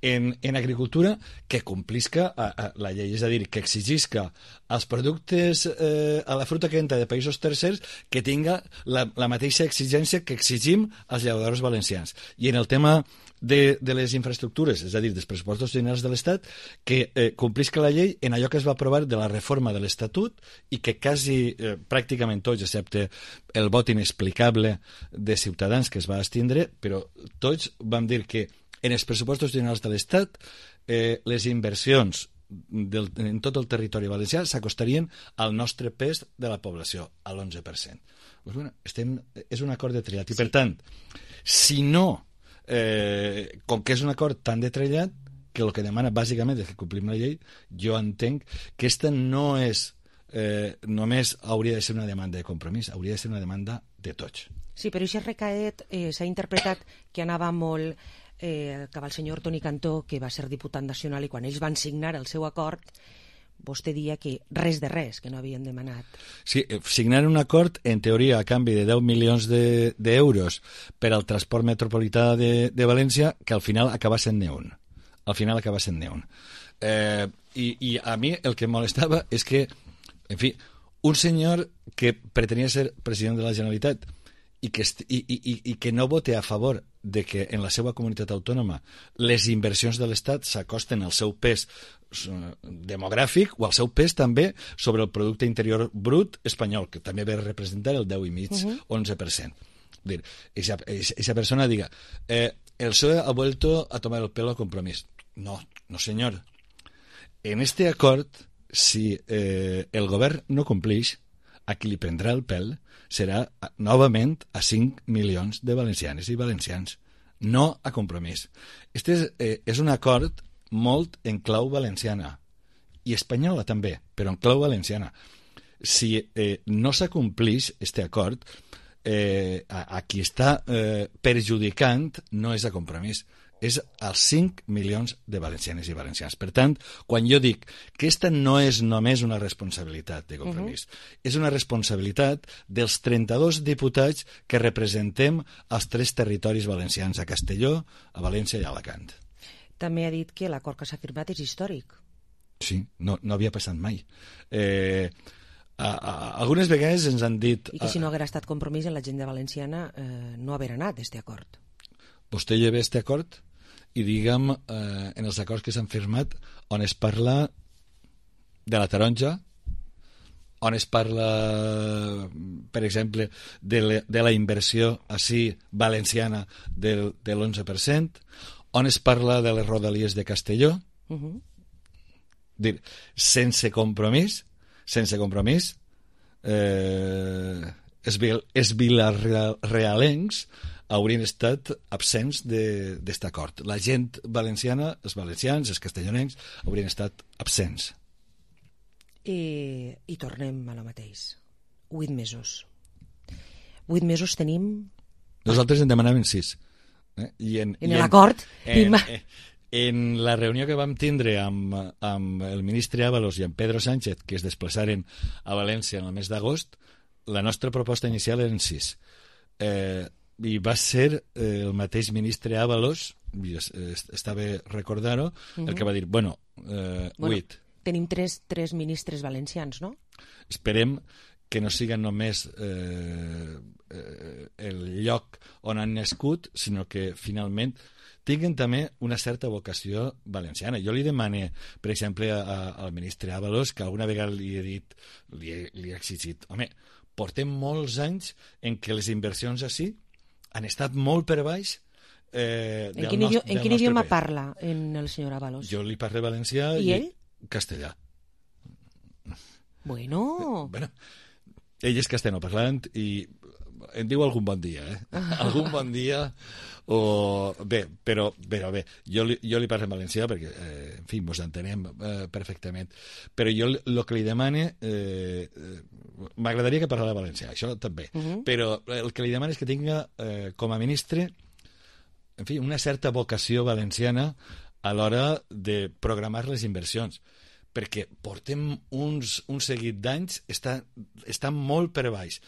S14: En, en agricultura, que complisca a, a la llei, és a dir, que exigisca als productes, eh, a la fruita que entra de països tercers, que tinga la, la mateixa exigència que exigim als llauradors valencians. I en el tema de, de les infraestructures, és a dir, dels pressupostos generals de l'Estat, que eh, complisca la llei en allò que es va aprovar de la reforma de l'Estatut i que quasi eh, pràcticament tots, excepte el vot inexplicable de Ciutadans que es va abstindre, però tots vam dir que en els pressupostos generals de l'Estat eh, les inversions del, en tot el territori valencià s'acostarien al nostre pes de la població, a l'onze per cent. Pues bueno, estem, és un acord de trellat i, per tant, si no Eh, com que és un acord tan detrellat que el que demana bàsicament és que complim la llei, jo entenc que aquesta no és eh, només hauria de ser una demanda de compromís, hauria de ser una demanda de tots.
S13: Sí, però aquest recaet eh, s'ha interpretat que anava molt eh, cap al senyor Toni Cantó, que va ser diputat nacional, i quan ells van signar el seu acord vostè dia que res de res, que no havien demanat.
S14: Sí, signar un acord, en teoria, a canvi de deu milions d'euros de, per al transport metropolità de, de València, que al final acaba sent ni un. Al final acaba sent ni un. Eh, i, I a mi el que em molestava és que, en fi, un senyor que pretenia ser president de la Generalitat i que, i, i, i que no vote a favor de que en la seva comunitat autònoma les inversions de l'Estat s'acosten al seu pes demogràfic o al seu pes també sobre el producte interior brut espanyol, que també ve a representar el deu i mig, uh-huh. onze per cent. Dir, esa, esa persona diga, eh, el P S O E ha vuelto a tomar el pelo a Compromís. No, no señor. En este acord, si eh, el govern no complix, a qui li prendrà el pèl serà novament a cinc milions de valencianes i valencians, no a Compromís. Este és, eh, és un acord molt en clau valenciana i espanyola també, però en clau valenciana. Si eh, no s'acomplix este acord, eh, a, a qui està eh, perjudicant no és a Compromís, és als cinc milions de valencianes i valencians. Per tant, quan jo dic que aquesta no és només una responsabilitat de Compromís, uh-huh. és una responsabilitat dels trenta-dos diputats que representem els tres territoris valencians, a Castelló, a València i a Alacant.
S13: També ha dit que l'acord que s'ha firmat és històric.
S14: Sí, no, no havia passat mai. Eh, a, a, algunes vegades ens han dit...
S13: I que si no haguera estat Compromís en l'agenda valenciana eh, no haver anat este acord.
S14: Vostè lleva este acord i diguem eh, en els acords que s'han firmat on es parla de la taronja, on es parla, per exemple, de, le, de la inversió així valenciana del, de l'onze per cent, on es parla de les rodalies de Castelló. Uh-huh. Dir, sense compromís, sense compromís, eh, els, els vilarealencs haurien estat absents d'aquest acord. La gent valenciana, els valencians, els castellonencs, haurien estat absents.
S13: I, i tornem a la mateix. Vuit mesos. Vuit mesos tenim
S14: Nosaltres en demanaven sis. Eh? I en,
S13: en
S14: i
S13: l'acord?
S14: En, en, en la reunió que vam tindre amb, amb el ministre Ábalos i amb Pedro Sánchez, que es desplaçaren a València en el mes d'agost, la nostra proposta inicial eren sis. Eh, I va ser eh, el mateix ministre Ábalos, i es, es, està bé recordar-ho, uh-huh. el que va dir, bueno, eh,
S13: bueno
S14: huit.
S13: Tenim tres, tres ministres valencians, no?
S14: Esperem que no siguin només eh, eh, el lloc on han nascut, sinó que finalment tinguin també una certa vocació valenciana. Jo li demane, per exemple, a, a, al ministre Ábalos, que alguna vegada li he dit, li he, li he exigit, home, portem molts anys en què les inversions així han estat molt per baix eh,
S13: en quin,
S14: nostre,
S13: en quin idioma país. Parla en el senyor Ábalos?
S14: Jo li parlo valencià
S13: i,
S14: i
S13: ell?
S14: Castellà.
S13: Bueno...
S14: bueno ell és castellanoparlant i em diu algun bon dia, eh? algun bon dia o... Bé, però, però bé, jo li, jo li parlo en valencià perquè, eh, en fi, mos entenem eh, perfectament. Però jo el que li demane... Eh, m'agradaria que parlara valencià, això també. Uh -huh. Però el que li demane és que tinga, eh, com a ministre, en fi, una certa vocació valenciana a l'hora de programar les inversions, perquè portem uns, un seguit d'anys, està, està molt per baix.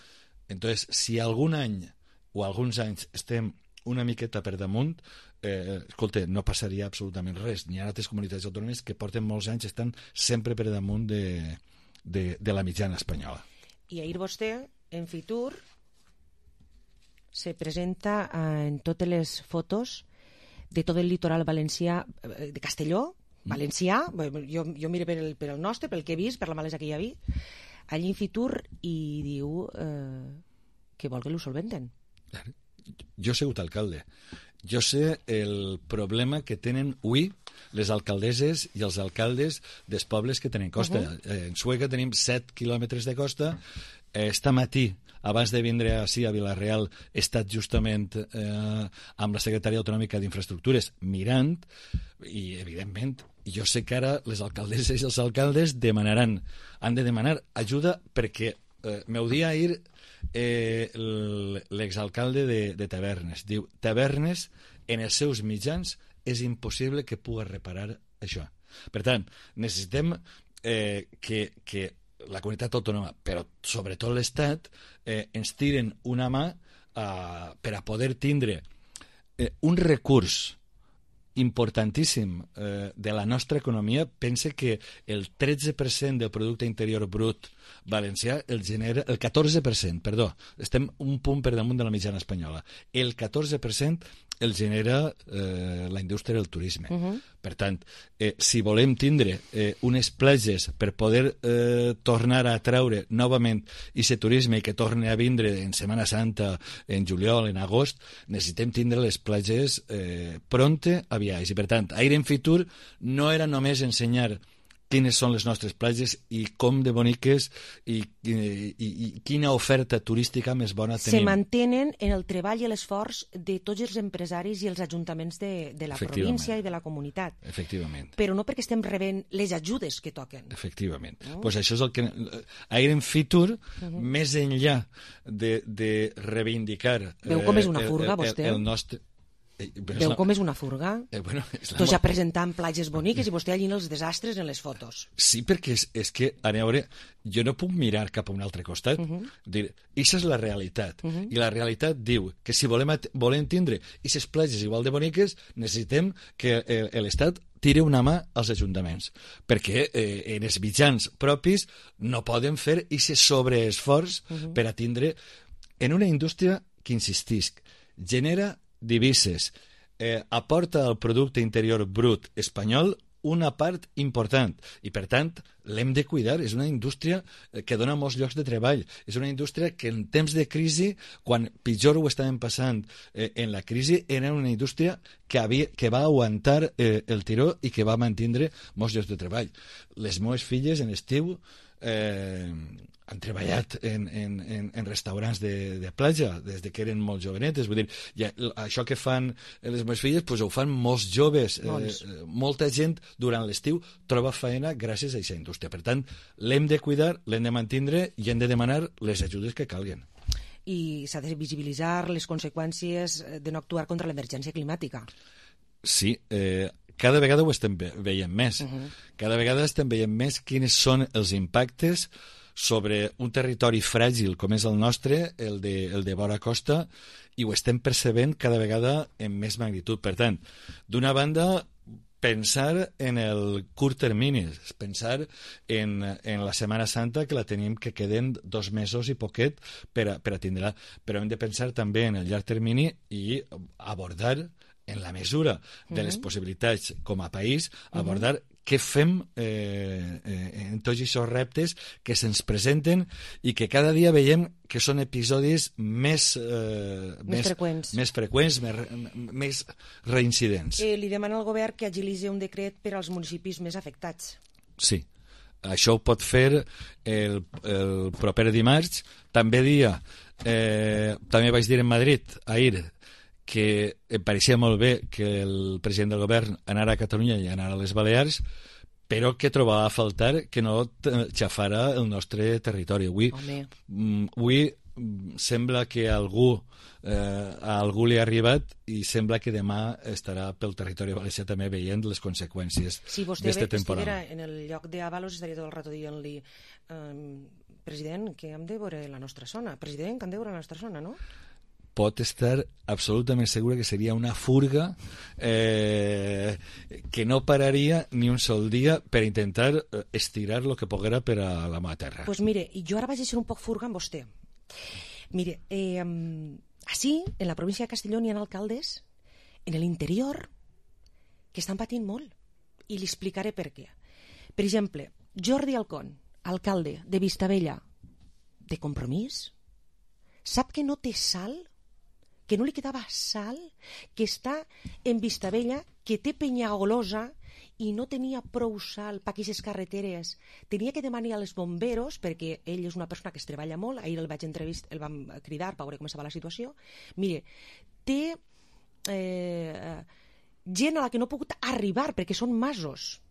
S14: Entonces, si algun any o alguns anys estem una miqueta per damunt, eh, escolta, no passaria absolutament res. N'hi ha altres comunitats autònomes que porten molts anys, estan sempre per damunt de, de, de la mitjana espanyola.
S13: I ahir vostè, en Fitur, se presenta eh, en totes les fotos de tot el litoral valencià, eh, de Castelló, valencià, jo, jo miro per el, per el nostre, pel que he vist, per la malesa que hi havia, allí en Fitur, i diu eh, que vol que l'ho solventen.
S14: Jo he sigut alcalde. Jo sé el problema que tenen avui les alcaldesses i els alcaldes dels pobles que tenen costa. Uh-huh. En Sueca tenim set quilòmetres de costa. Esta matí, abans de vindre així a Vila-real, he estat justament eh, amb la secretària autonòmica d'Infraestructures mirant, i evidentment jo sé que ara les alcaldesses i els alcaldes demanaran, han de demanar ajuda perquè eh, m'ho dia ahir eh, l'exalcalde de, de Tavernes. Diu, Tavernes, en els seus mitjans, és impossible que pugui reparar això. Per tant, necessitem eh, que, que la comunitat autònoma, però sobretot l'Estat, eh, ens tiren una mà eh, per a poder tindre eh, un recurs importantíssim eh, de la nostra economia. Pense que el tretze per cent del producte interior brut valencià el genera, el catorze per cent, perdó, estem un punt per damunt de la mitjana espanyola, el catorze per cent el genera eh, la indústria del turisme. Uh-huh. Per tant, eh, si volem tindre eh, unes platges per poder eh, tornar a atraure novament aquest turisme i que torni a vindre en Setmana Santa, en juliol, en agost, necessitem tindre les platges eh, pronte a viatge. I per tant, Aire en Fitur no era només ensenyar quines són les nostres platges i com de boniques i, i, i, i quina oferta turística més bona tenim.
S13: Se mantenen en el treball i l'esforç de tots els empresaris i els ajuntaments de, de la província i de la comunitat.
S14: Efectivament.
S13: Però no perquè estem rebent les ajudes que toquen.
S14: Efectivament. No? Pues això és el que... Aire en Fitur, uh-huh. més enllà de, de reivindicar...
S13: Veu com és una furga,
S14: eh,
S13: vostè?
S14: El, el nostre...
S13: Eh, Veu la... com és una furga?
S14: Eh, bueno, és la...
S13: Tots ja presentant platges boniques i vostè allí en els desastres en les fotos.
S14: Sí, perquè és, és que, a veure, jo no puc mirar cap a un altre costat. Uh-huh. Dir, això és la realitat. Uh-huh. I la realitat diu que si volem, volem tindre aquestes platges igual de boniques, necessitem que l'Estat tire una mà als ajuntaments, perquè eh, en els mitjans propis no poden fer aquest sobreesforç uh-huh. per a tindre en una indústria que, insistisc, genera divises, eh, aporta al producte interior brut espanyol una part important i, per tant, l'hem de cuidar. És una indústria que dona molts llocs de treball. És una indústria que en temps de crisi, quan pitjor ho estàvem passant eh, en la crisi, era una indústria que, havia, que va aguantar eh, el tiró i que va mantindre molts llocs de treball. Les meves filles en estiu eh, han treballat en, en, en, en restaurants de, de platja des de que eren molt jovenetes. Vull dir, ja, això que fan les meves filles pues, ho fan molts joves. Eh, molta gent durant l'estiu troba feina gràcies a aquesta indústria. Per tant, l'hem de cuidar, l'hem de mantindre i hem de demanar les ajudes que calguen.
S13: i s'ha de visibilitzar les conseqüències de no actuar contra l'emergència climàtica.
S14: Sí, eh, cada vegada ho estem veient més. Uh-huh. Cada vegada estem veient més quins són els impactes sobre un territori fràgil com és el nostre, el de, el de vora costa, i ho estem percebent cada vegada en més magnitud. Per tant, d'una banda, pensar en el curt termini, pensar en, en la Setmana Santa, que la tenim que queden dos mesos i poquet per a, per a tindre-la, però hem de pensar també en el llarg termini i abordar, en la mesura de les possibilitats com a país, abordar uh-huh. què fem eh, eh, en tots aquests reptes que se'ns presenten i que cada dia veiem que són episodis més, eh,
S13: més, més freqüents,
S14: més, freqüents, més, més reincidents.
S13: Eh, li demana al govern que agilitzi un decret per als municipis més afectats.
S14: Sí, això ho pot fer el, el proper dimarts. També dia, eh, també vaig dir en Madrid, ahir, que em pareixia molt bé que el president del govern anara a Catalunya i anara a les Balears, però que trobava a faltar que no xafara el nostre territori. Avui, avui sembla que a algú, eh, a algú li ha arribat i sembla que demà estarà pel territori valencià també veient les conseqüències
S13: si
S14: d'este temporal.
S13: Si vostè en el lloc d'Avalos estaria tot el rato dient-li eh, president, que hem de veure la nostra zona, president, que hem de veure la nostra zona, no?
S14: Pot estar absolutament segura que seria una furga eh, que no pararia ni un sol dia per intentar estirar el que poguera per a la meva terra.
S13: Pues mire, jo ara vaig a ser un poc furga amb vostè. Mire, eh, així, en la província de Castelló hi ha alcaldes en l'interior que estan patint molt i li explicaré per què. Per exemple, Jordi Alcón, alcalde de Vistabella, de Compromís, sap que no té sal, que no li quedava sal, que està en Vistabella, que té Penyagolosa i no tenia prou sal per aquestes carreteres. Tenia que demanar als bomberos, perquè ell és una persona que es treballa molt, ahir el vaig entrevistar, el vam cridar per veure com estava la situació. Mire, té eh, gent a la que no ha pogut arribar perquè són masos.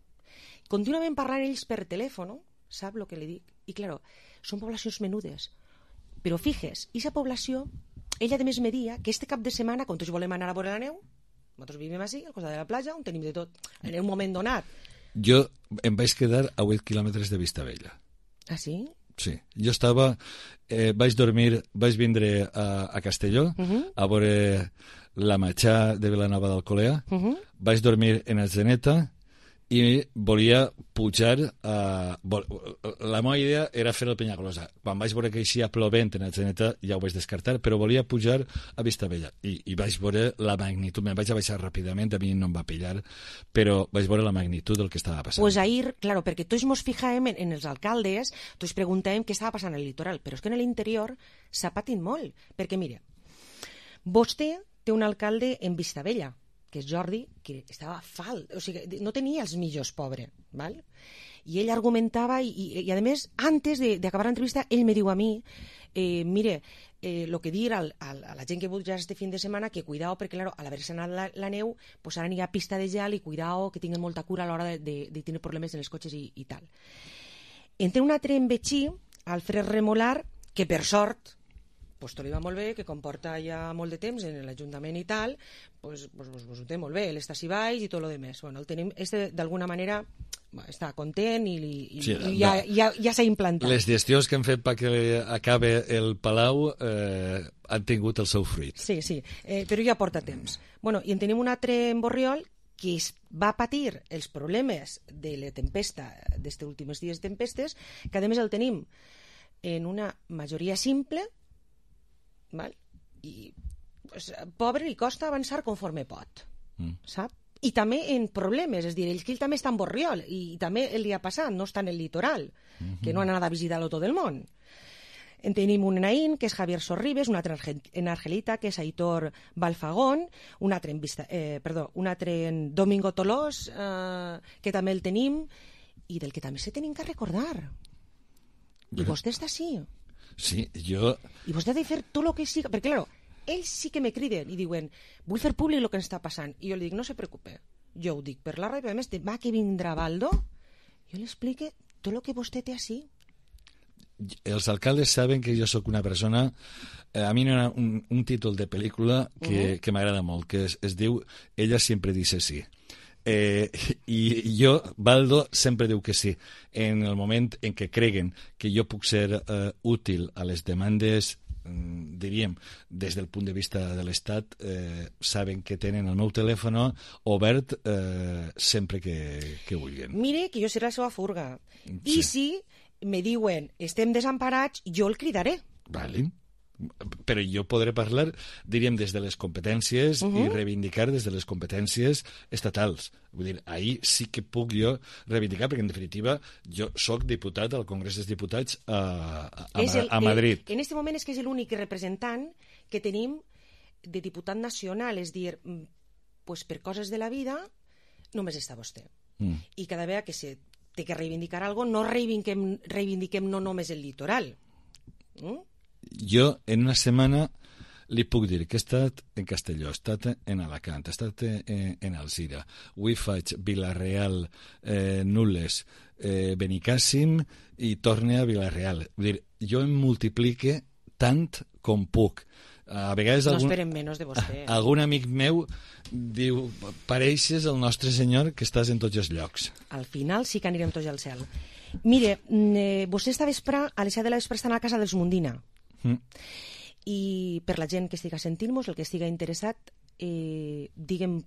S13: Contínuament parlant ells per telèfon, sap el que li dic? I, claro, són poblacions menudes. Però fijes, aquesta població, ella de més me dia que este cap de setmana, quan tots volem anar a veure la neu, nosaltres vivim així, al costat de la platja, on tenim de tot, en un moment donat.
S14: Jo em vaig quedar a vuit quilòmetres de Vistabella.
S13: Ah, sí?
S14: Sí. Jo estava... Eh, vaig dormir... Vaig vindre a, a Castelló, uh-huh. a veure la matxà de Vilanova d'Alcolea, uh-huh. vaig dormir en Atzeneta i volia pujar a... La meva idea era fer el Penyagolosa. Quan vaig veure que eixia plovent en Atzeneta ja ho vaig descartar, però volia pujar a Vistabella i, i vaig veure la magnitud. Me'n vaig a baixar ràpidament, a mi no em va pillar, però vaig veure la magnitud del que estava passant.
S13: Pues ahir, claro, perquè tots ens fijàvem en, en els alcaldes, tots preguntàvem què estava passant al litoral, però és que en l'interior s'ha patit molt, perquè mire, vostè té un alcalde en Vistabella, que és Jordi, que estava falt, o sigui, no tenia els millors, pobre, val? I ell argumentava, i, i, i a més, antes d'acabar l'entrevista, ell me diu a mi, eh, mire, eh, lo que dir al, al, a la gent que puja este fin de setmana, que cuidao, perquè, claro, al haver-se anat la, la neu, pues ara n'hi ha pista de gel i cuidao, que tinguen molta cura a l'hora de, de, de tenir problemes en els cotxes i, i tal. Entre un altre en Betxí, Alfred Remolar, que per sort, pues tot li va molt bé, que comporta ja molt de temps en l'Ajuntament i tal, pues, pues, pues, pues ho té molt bé, ell està així baix i tot el demés. Bueno, el tenim, este d'alguna manera està content i, i, sí, i ja, ja, ja s'ha implantat.
S14: Les gestions que han fet perquè acabe el Palau eh, han tingut el seu fruit.
S13: Sí, sí, eh, però ja porta temps. Bueno, i en tenim un altre en Borriol que es va patir els problemes de la tempesta, d'estes últims dies de tempestes, que a més el tenim en una majoria simple, val? I pues, pobre li costa avançar conforme pot, mm. sap? I també en problemes, és a dir, ell que ell també està en Borriol i també el dia passat no està en el litoral, mm-hmm. que no han anat a visitar-lo tot el món. En tenim un Naín, que és Javier Sorribes, un altre en Argelita, que és Aitor Balfagón, un altre en, Vista, eh, perdó, un altre en Domingo Tolós, eh, que també el tenim, i del que també se tenim que recordar. I Bé. vostè està així.
S14: Sí, jo...
S13: I vostè ha de fer tot el que sigui... Perquè, clar, ells sí que me criden i diuen vull fer públic el que ens està passant. I jo li dic, no se preocupe. Jo ho dic per la ràdio. A més, demà que vindrà Baldo, jo li explique tot el que vostè té així.
S14: els alcaldes saben que jo sóc una persona... Eh, a mi hi ha un, un títol de pel·lícula que, uh-huh. que m'agrada molt, que es, es diu Ella siempre dice sí. Eh, I jo, Baldo, sempre diu que sí. En el moment en què creguen que jo puc ser eh, útil a les demandes, mm, diríem, des del punt de vista de l'Estat, eh, saben que tenen el meu telèfon obert eh, sempre que, que vulguin.
S13: Mire, que jo seré la seva furga. Sí. I si me diuen estem desemparats, jo el cridaré.
S14: Vale. Però jo podré parlar, diríem, des de les competències uh-huh. i reivindicar des de les competències estatals. Vull dir, ahir sí que puc jo reivindicar, perquè en definitiva jo sóc diputat al Congrés dels Diputats a, a, a, el, a Madrid.
S13: En aquest moment és que és l'únic representant que tenim de diputat nacional, és dir, pues per coses de la vida només està vostè. Mm. I cada vegada que se té que reivindicar alguna cosa, no reivindiquem, reivindiquem no només el litoral. Mm?
S14: Jo, en una setmana, li puc dir que he estat en Castelló, he estat en Alacant, he estat en, en Alzira, avui faig Vila-real, eh, Nules, eh, Benicàssim i torne a Vila-real. Vull dir, jo em multiplique tant com puc. A vegades
S13: no
S14: algun,
S13: esperem menys de vostè.
S14: Algun amic meu diu, pareixes el nostre senyor que estàs en tots els llocs.
S13: Al final sí que anirem tots al cel. Mire, eh, vostè esta vespre, a les set de la vespre, està a la casa dels Mundina. Mm. I per la gent que estiga sentint-nos, el que estiga interessat, eh, diguem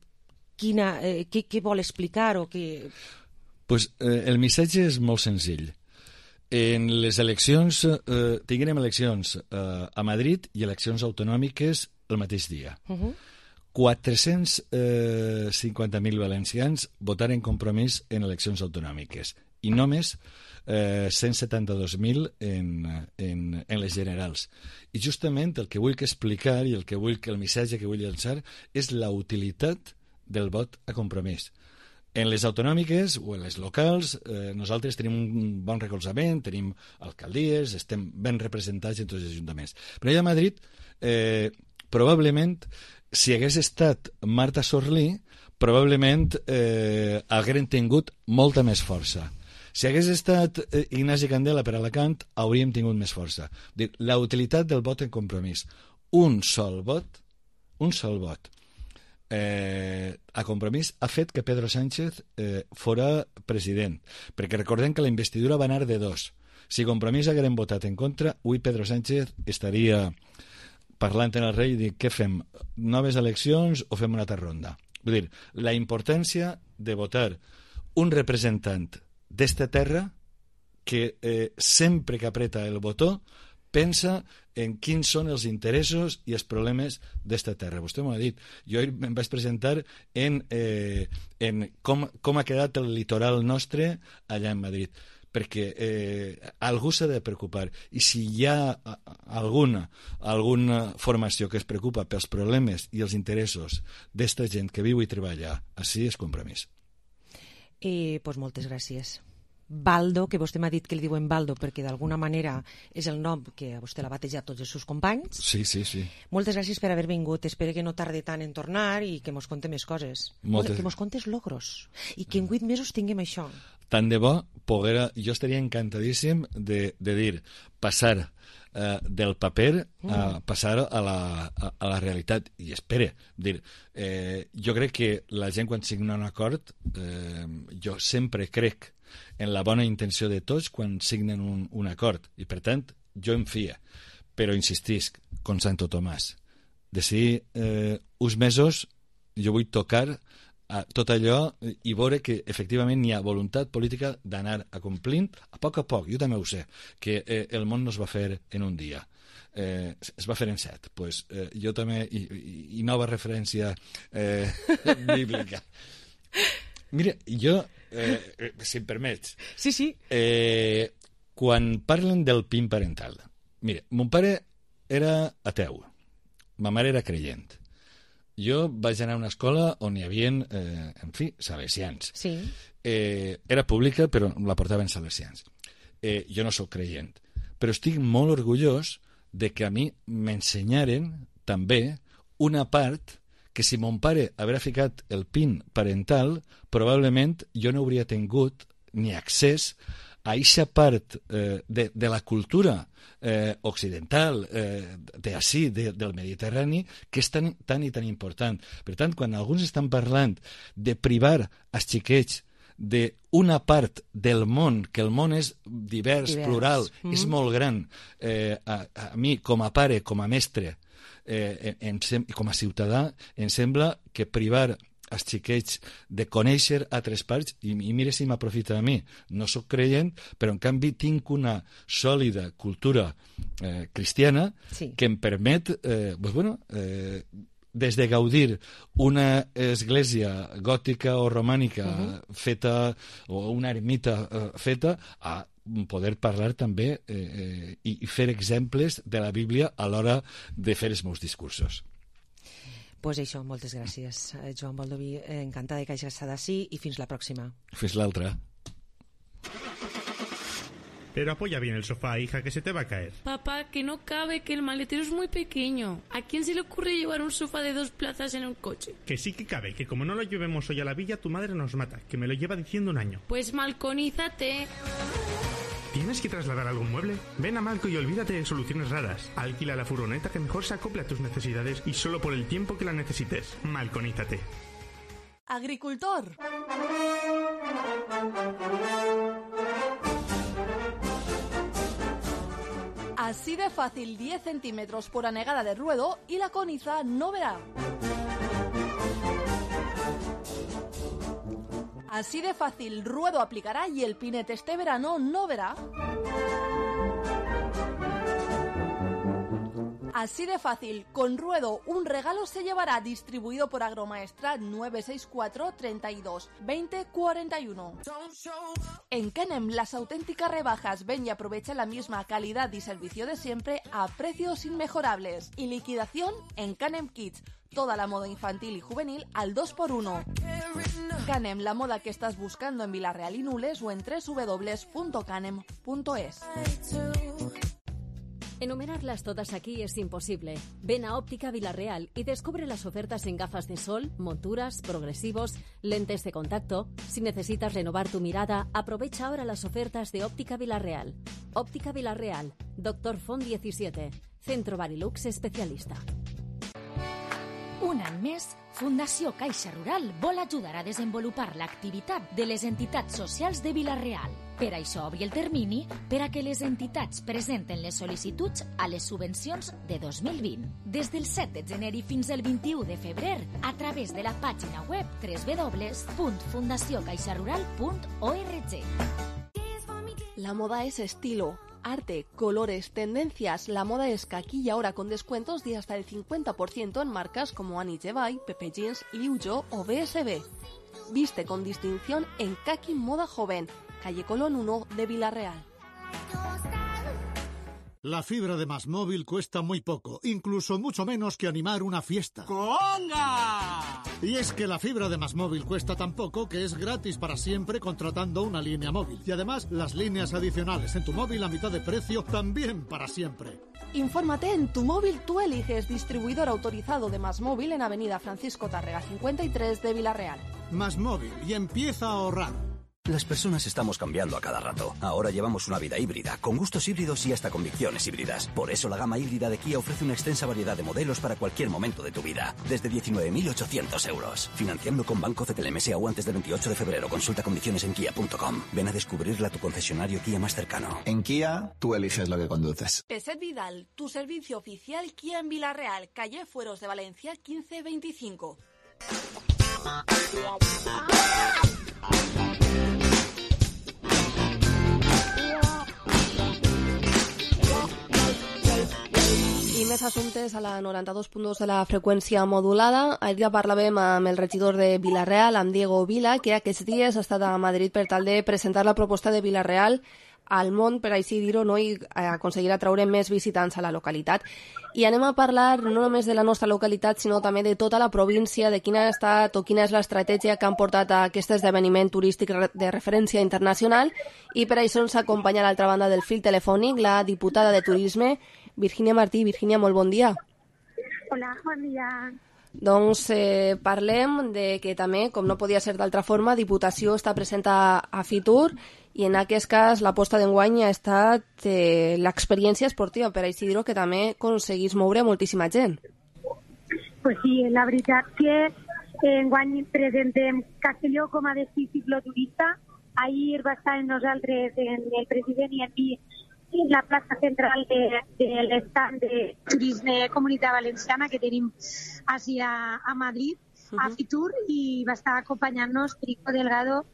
S13: quina, eh, què, què vol explicar o què...
S14: Pues, eh, el missatge és molt senzill. En les eleccions, eh, tinguem eleccions eh, a Madrid i eleccions autonòmiques el mateix dia. Uh-huh. quatre-cents cinquanta mil valencians votaren Compromís en eleccions autonòmiques i només eh, cent setanta-dos mil en, en, en les generals. I justament el que vull que explicar i el que vull que el missatge que vull llançar és la utilitat del vot a Compromís. En les autonòmiques o en les locals eh, nosaltres tenim un bon recolzament, tenim alcaldies, estem ben representats en tots els ajuntaments. Però allà a Madrid, eh, probablement, si hagués estat Marta Sorlí, probablement eh, hagueren tingut molta més força. Si hagués estat eh, Ignasi Candela per Alacant, hauríem tingut més força. Dir, la utilitat del vot en Compromís. Un sol vot, un sol vot, eh, a Compromís ha fet que Pedro Sánchez eh, fora president. Perquè recordem que la investidura va anar de dos. Si Compromís hagueren votat en contra, avui Pedro Sánchez estaria parlant en el rei i dir, què fem? Noves eleccions o fem una altra ronda? Vull dir, la importància de votar un representant d'esta terra que eh, sempre que apreta el botó pensa en quins són els interessos i els problemes d'esta terra. Vostè m'ho ha dit. Jo em vaig presentar en, eh, en com, com ha quedat el litoral nostre allà en Madrid, perquè eh, algú s'ha de preocupar. I si hi ha alguna, alguna formació que es preocupa pels problemes i els interessos d'esta gent que viu i treballa, així és Compromís.
S13: Eh, pues moltes gràcies. Baldo, que vostè m'ha dit que li diuen Baldo perquè d'alguna manera és el nom que a vostè l'ha batejat tots els seus companys.
S14: Sí, sí, sí.
S13: Moltes gràcies per haver vingut. Espero que no tarde tant en tornar i que mos conte més coses.
S14: Moltes...
S13: Que mos contes logros. I que en vuit mesos tinguem això.
S14: Tant de bo, poguera... jo estaria encantadíssim de, de dir, passar eh, del paper a passar a la, a, a la realitat. I espere, dir, eh, jo crec que la gent quan signa un acord, eh, jo sempre crec en la bona intenció de tots quan signen un, un acord. I, per tant, jo em fia. Però insistisc, com Santo Tomàs, d'ací eh, uns mesos jo vull tocar a tot allò i veure que efectivament hi ha voluntat política d'anar acomplint a poc a poc. Jo també ho sé, que eh, el món no es va fer en un dia. Eh, es va fer en set. Pues, eh, jo també, i, i, i nova referència eh, bíblica. Mira, jo, eh, si em permets...
S13: Sí, sí.
S14: Eh, quan parlen del P I N parental... Mira, mon pare era ateu, ma mare era creient. Jo vaig anar a una escola on hi havia, eh, en fi, salesians.
S13: Sí.
S14: Eh, era pública, però la portaven salesians. Eh, jo no sóc creient, però estic molt orgullós de que a mi m'ensenyaren també una part que si mon pare haguera ficat el P I N parental, probablement jo no hauria tingut ni accés a eixa part eh, de, de la cultura eh, occidental, eh, d'ací, de, del Mediterrani, que és tan, tan i tan important. Per tant, quan alguns estan parlant de privar els xiquets d'una part del món, que el món és divers, divers. plural, mm. és molt gran, eh, a, a mi, com a pare, com a mestre, eh, em, com a ciutadà, em sembla que privar els xiquets de conèixer altres parts, i, i mira si m'aprofita a mi, no sóc creient, però en canvi tinc una sòlida cultura eh, cristiana sí. que em permet eh, pues bueno, eh, des de gaudir una església gòtica o romànica uh-huh. feta, o una ermita eh, feta, a poder parlar també eh, eh, i fer exemples de la Bíblia a l'hora de fer els meus discursos.
S13: Pues això, moltes gràcies, Joan Baldoví. Encantada que hagis estat així i fins la pròxima.
S14: Fins l'altra.
S15: Pero apoya bien el sofá, hija, que se te va a caer.
S16: Papá, que no cabe, que el maletero es muy pequeño. ¿A quién se le ocurre llevar un sofá de dos plazas en un coche?
S15: Que sí que cabe, que como no lo llevemos hoy a la villa, tu madre nos mata, que me lo lleva diciendo un año.
S16: Pues malconízate.
S15: ¿Tienes que trasladar algún mueble? Ven a Malco y olvídate de soluciones raras. Alquila la furgoneta que mejor se acople a tus necesidades y solo por el tiempo que la necesites. Malconízate.
S17: Agricultor. Así de fácil, diez centímetros por anegada de ruedo y la coniza no verá. Así de fácil, ruedo aplicará y el pinete este verano no verá. Así de fácil, con ruedo un regalo se llevará, distribuido por Agromaestra nueve seis cuatro, treinta y dos, veinte, cuarenta y uno. En Canem, las auténticas rebajas. Ven y aprovecha la misma calidad y servicio de siempre a precios inmejorables. Y liquidación en Canem Kids. Toda la moda infantil y juvenil al dos por uno. Canem, la moda que estás buscando en Villarreal y Nules o en doble u doble u doble u punto canem punto es.
S18: Enumerarlas todas aquí es imposible. Ven a Óptica Villarreal y descubre las ofertas en gafas de sol, monturas, progresivos, lentes de contacto. Si necesitas renovar tu mirada, aprovecha ahora las ofertas de Óptica Villarreal. Óptica Villarreal, Doctor Font diecisiete, Centro Barilux especialista.
S4: Un any més, Fundació Caixa Rural vol ajudar a desenvolupar l'activitat de les entitats socials de Vila-real. Per això obri el termini per a que les entitats presenten les sol·licituds a les subvencions de dos mil vint. Des del set de gener i fins al vint-i-u de febrer, a través de la pàgina web doble u doble u doble u punt fundació caixa rural punt org.
S17: La moda es estilo, arte, colores, tendencias. La moda es que aquí y ahora con descuentos de hasta el cincuenta por ciento en marcas como Annie Jevay, Pepe Jeans, Liu Jo o B S B. Viste con distinción en Kaki Moda Joven, calle Colón uno de Vila-real.
S19: La fibra de Más Móvil cuesta muy poco, incluso mucho menos que animar una fiesta. ¡Conga! Y es que la fibra de Más Móvil cuesta tan poco que es gratis para siempre contratando una línea móvil. Y además, las líneas adicionales en tu móvil a mitad de precio también para siempre.
S17: Infórmate en Tu Móvil Tú Eliges, distribuidor autorizado de Más Móvil en Avenida Francisco Tárrega cincuenta y tres de Vila-real.
S19: Más Móvil, y empieza a ahorrar.
S20: Las personas estamos cambiando a cada rato. Ahora llevamos una vida híbrida, con gustos híbridos y hasta convicciones híbridas. Por eso la gama híbrida de Kia ofrece una extensa variedad de modelos para cualquier momento de tu vida. Desde diecinueve mil ochocientos euros. Financiando con Banco C T L M S A U antes del veintiocho de febrero. Consulta condiciones en kia punto com. Ven a descubrirla a tu concesionario Kia más cercano.
S21: En Kia, tú eliges lo que conduces.
S17: Peset Vidal, tu servicio oficial Kia en Vila-real, calle Fueros de Valencia quince veinticinco.
S2: I més assumptes a la noranta-dos punt dos de la freqüència modulada. Ahir ja parlàvem amb el regidor de Vila-real, amb Diego Vila, que aquests dies ha estat a Madrid per tal de presentar la proposta de Vila-real al món, per així dir-ho, no? I aconseguir atraure més visitants a la localitat. I anem a parlar no només de la nostra localitat, sinó també de tota la província, de quina ha estat o quina és l'estratègia que han portat a aquest esdeveniment turístic de referència internacional. I per això ens acompanya a l'altra banda del fil telefònic la diputada de Turisme, Virginia Martí. Virginia, molt bon dia.
S22: Hola, bon dia.
S2: Doncs eh, parlem de que també, com no podia ser d'altra forma, Diputació està present a, a Fitur i en aquest cas l'aposta d'enguany ha estat eh, l'experiència esportiva, per així dir-ho, que també aconseguís moure moltíssima gent.
S1: Pues sí, la veritat que enguany presentem Castelló com a destí cicloturista. Ahir va estar amb nosaltres en el president i en mi en la plaça central de, de l'estand de Turisme Comunitat Valenciana que tenim així a, a Madrid, uh-huh. a Fitur, i va estar acompanyant-nos Perico Delgado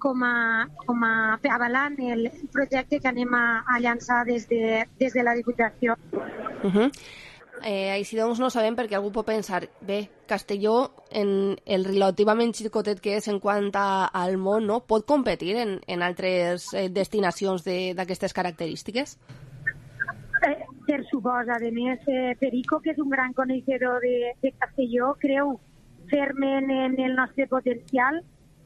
S1: com a, com a avalant el projecte que anem a, a llançar des de, des de la Diputació.
S2: Uh-huh. Eh, així doncs no sabem perquè algú pot pensar, bé, Castelló, en el relativament xicotet que és en quant a, al món, no? Pot competir en, en altres eh, destinacions d'aquestes característiques?
S1: Eh, per suposa, a més, eh, Perico, que és un gran coneixedor de, de Castelló, creu ferment en el nostre potencial.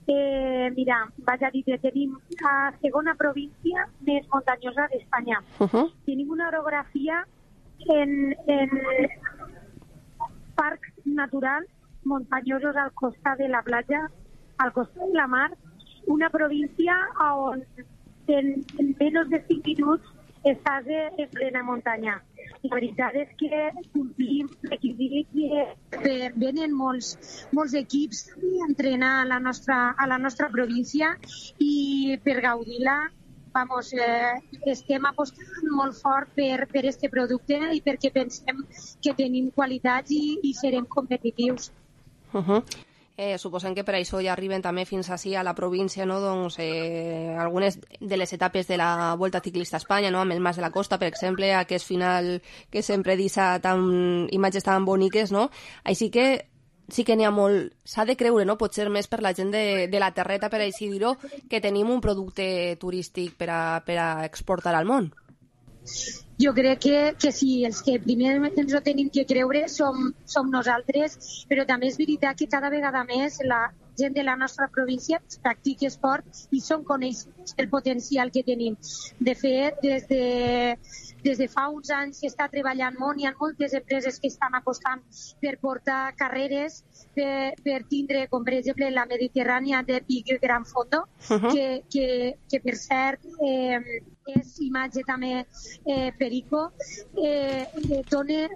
S1: Eh, mira, vaig a dir que tenim la segona província més muntanyosa d'Espanya. Uh-huh. Tenim una orografia en, en parcs naturals muntanyosos al costat de la platja, al costat de la mar, una província on en, en menys de cinc minuts estàs en plena muntanya. La veritat és que complim requisits i venen molts, molts equips a entrenar a la nostra, a la nostra província i per gaudir-la Vamos, eh, estem apostant molt fort per, per este producte i perquè pensem que tenim qualitats i, i serem competitius.
S2: Uh-huh. Eh, suposem que per això ja arriben també fins així a la província, no? Doncs, eh, algunes de les etapes de la Volta Ciclista a Espanya, no? Amb el Mas de la Costa, per exemple, aquest final que sempre deixa tan, imatges tan boniques, no? Així que sí que n'hi ha molt, s'ha de creure, no? Potser més per la gent de, de la terreta, per així dir-ho, que tenim un producte turístic per a, per a exportar al món.
S1: Jo crec que, que sí, els que primer ens ho tenim que creure som, som nosaltres, però també és veritat que cada vegada més la gent de la nostra província practica esport i són coneixents el potencial que tenim. De fet, des de Des de fa uns anys s'està treballant molt, hi ha moltes empreses que estan apostant per portar carreres, per, per tindre, com per exemple, la Mediterrània de Big Gran Fondo, uh-huh. que, que, que per cert eh, és imatge també eh, Perico, eh, dona,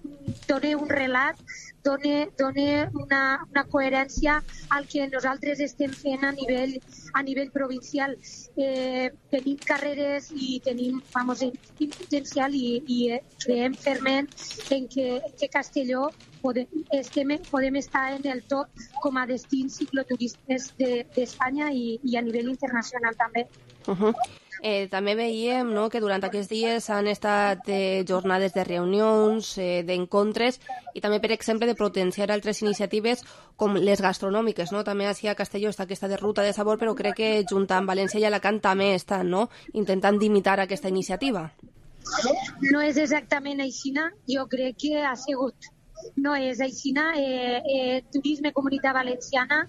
S1: dona un relat, dona, dona una, una coherència al que nosaltres estem fent a nivell, a nivell provincial. Eh, tenim carreres i tenim, vamos, potencial i, i creiem ferment en que, en que Castelló podem, estem, podem estar en el top com a destins cicloturistes d'Espanya de, i, i a nivell internacional també.
S2: Uh-huh. Eh, també veiem, no, que durant aquests dies han estat eh, jornades de reunions, eh, d'encontres i també, per exemple, de potenciar altres iniciatives com les gastronòmiques, no? També així a Castelló està aquesta de ruta de sabor, però crec que junt amb València i Alacant també estan, no?, intentant d'imitar aquesta iniciativa.
S1: No és exactament aixina, jo crec que ha sigut. No és aixina. Eh, eh, Turisme Comunitat Valenciana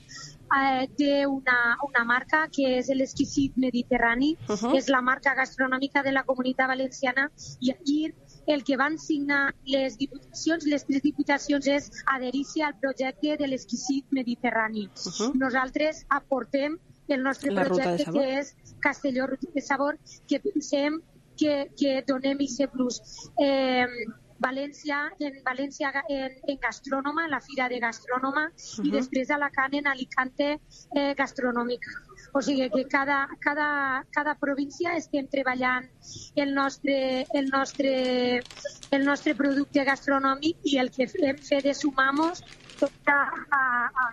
S1: Eh, té una, una marca que és l'Exquisit Mediterrani, uh-huh. és la marca gastronòmica de la Comunitat Valenciana i aquí el que van signar les diputacions, les tres diputacions és adherir-se al projecte de l'Exquisit Mediterrani. Uh-huh. Nosaltres aportem el nostre la projecte que és Castelló Ruta de Sabor, que pensem que, que donem aquest plus. Eh, València, en València en, en gastrònoma, la Fira de Gastrònoma, uh-huh. i després a Alacant en Alicante eh, gastronòmica. O sigui que cada, cada, cada província estem treballant el nostre, el, nostre, el nostre producte gastronòmic i el que hem fet de sumar-nos tot a, a, a,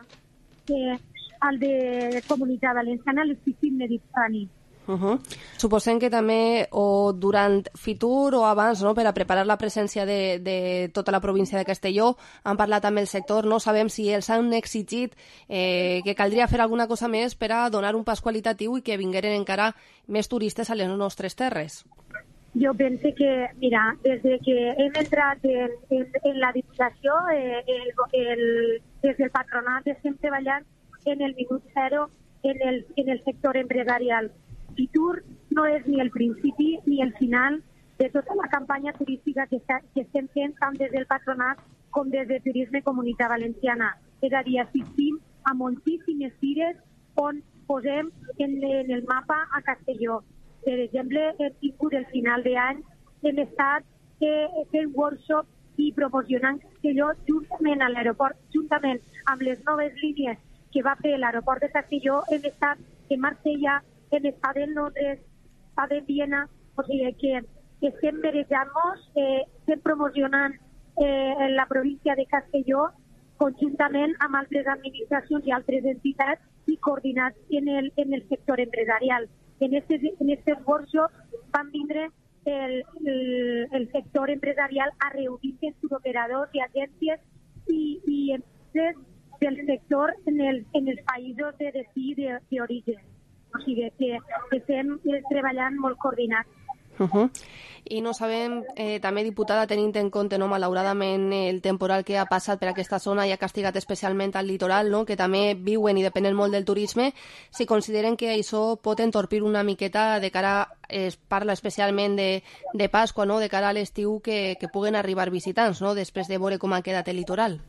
S1: a, al de Comunitat Valenciana, l'Exquisit Mediterrani.
S2: Uh-huh. Suposem que també o durant Fitur o abans, no, per a preparar la presència de, de tota la província de Castelló han parlat amb el sector, no sabem si els han exigit eh, que caldria fer alguna cosa més per a donar un pas qualitatiu i que vingueren encara més turistes a les nostres terres.
S1: Jo penso que, mira, des de que hem entrat en, en, en la Diputació, eh, el, el, des del patronat estem treballant en el minut zero en el, en el sector empresarial. Fitur no és ni el principi ni el final de tota la campanya turística que, que estem fent tant des del patronat com des de Turisme Comunitat Valenciana. És a dir, assistim a moltíssimes fires on posem en, en el mapa a Castelló. Per exemple, hem tingut el final d'any, hem estat eh, fent workshops i promocionant Castelló juntament a l'aeroport, juntament amb les noves línies que va fer l'aeroport de Castelló. Hem estat en Marsella, hem estat en Londres, estat en Viena, o sigui que estem merejant-nos, eh, estem promocionant eh, en la província de Castelló conjuntament amb altres administracions i altres entitats i coordinats en el, en el sector empresarial. En aquests en estes workshops van vindre el, el, el sector empresarial a reunir-se amb turoperadors i agències i, i empreses del sector en, el, en els països de destí d'origen. O sigui que estem treballant molt coordinats.
S2: Uh -huh. I no sabem, eh, també, diputada, tenint en compte, no, malauradament, el temporal que ha passat per aquesta zona i ha castigat especialment al litoral, no, que també viuen i depenen molt del turisme, si consideren que això pot entorpir una miqueta de cara, es parla especialment de, de Pasqua, no, de cara a l'estiu, que, que puguen arribar visitants, no, després de veure com ha quedat el litoral.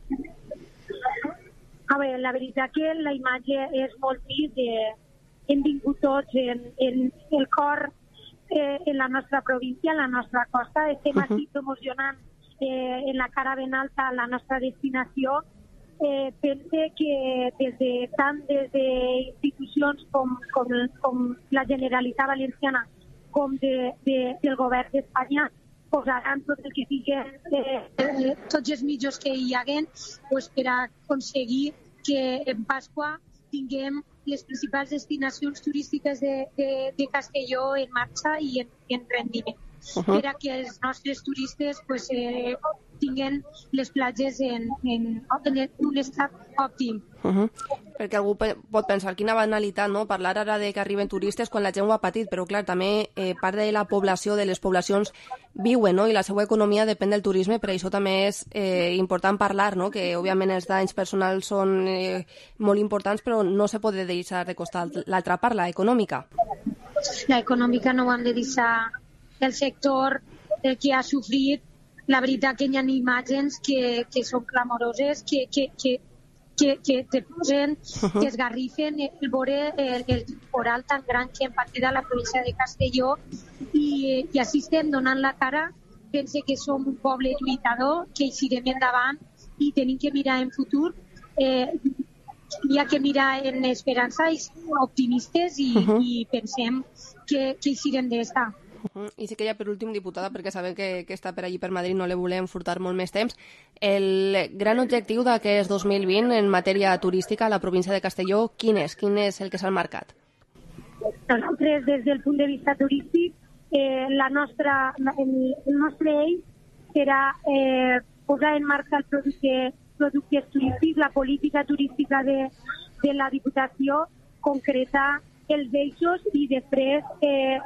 S1: A veure, la veritat que la imatge és molt trist. Hem vingut tots en, en el cor Eh, en la nostra província, en la nostra costa. Estem uh -huh. aquí promocionant eh, en la cara ben alta la nostra destinació. Eh, pense que des de, tant des d'institucions com, com, com la Generalitat Valenciana com de, de, del govern d'Espanya posaran tot el que siguin, eh, tots els mitjans que hi haguen pues, per a aconseguir que en Pasqua tinguem les principals destinacions turístiques de, de, de Castelló en marxa i en, en rendiment. Uh -huh. Per a que els nostres turistes pues, eh, tinguin les platges en, en, en un estat òptim.
S2: Uh -huh. Perquè algú pot pensar, quina banalitat, no?, parlar ara de que arriben turistes quan la gent ho ha patit, però clar, també eh, part de la població, de les poblacions, viuen, no?, i la seva economia depèn del turisme, per això també és eh, important parlar, no?, que òbviament els danys personals són eh, molt importants, però no se pot deixar de costar l'altra part, la econòmica.
S1: La econòmica no ho hem de deixar. El sector eh, que ha sofrit, la veritat que hi ha imatges que, que són clamoroses, que, que, que, que, que te posen, que esgarrifen el veure el, el temporal tan gran que hem patit a la província de Castelló i, i així estem donant la cara. Pense que som un poble lluitador, que eixirem endavant i tenim que mirar en futur. Eh, hi ha que mirar en esperança i ser optimistes i, uh -huh. i pensem que, que eixirem d'esta.
S2: Uh -huh. I sí que ja per últim, diputada, perquè sabem que, que està per allí per Madrid, no le volem furtar molt més temps, el gran objectiu d'aquest dos mil vint en matèria turística a la província de Castelló, quin és? Quin és el que s'ha marcat?
S1: Nosaltres, des del punt de vista turístic, eh, la nostra, el, el nostre eix serà eh, posar en marxa el producte, productes turístics, la política turística de, de la Diputació, concretar els eixos i després eh,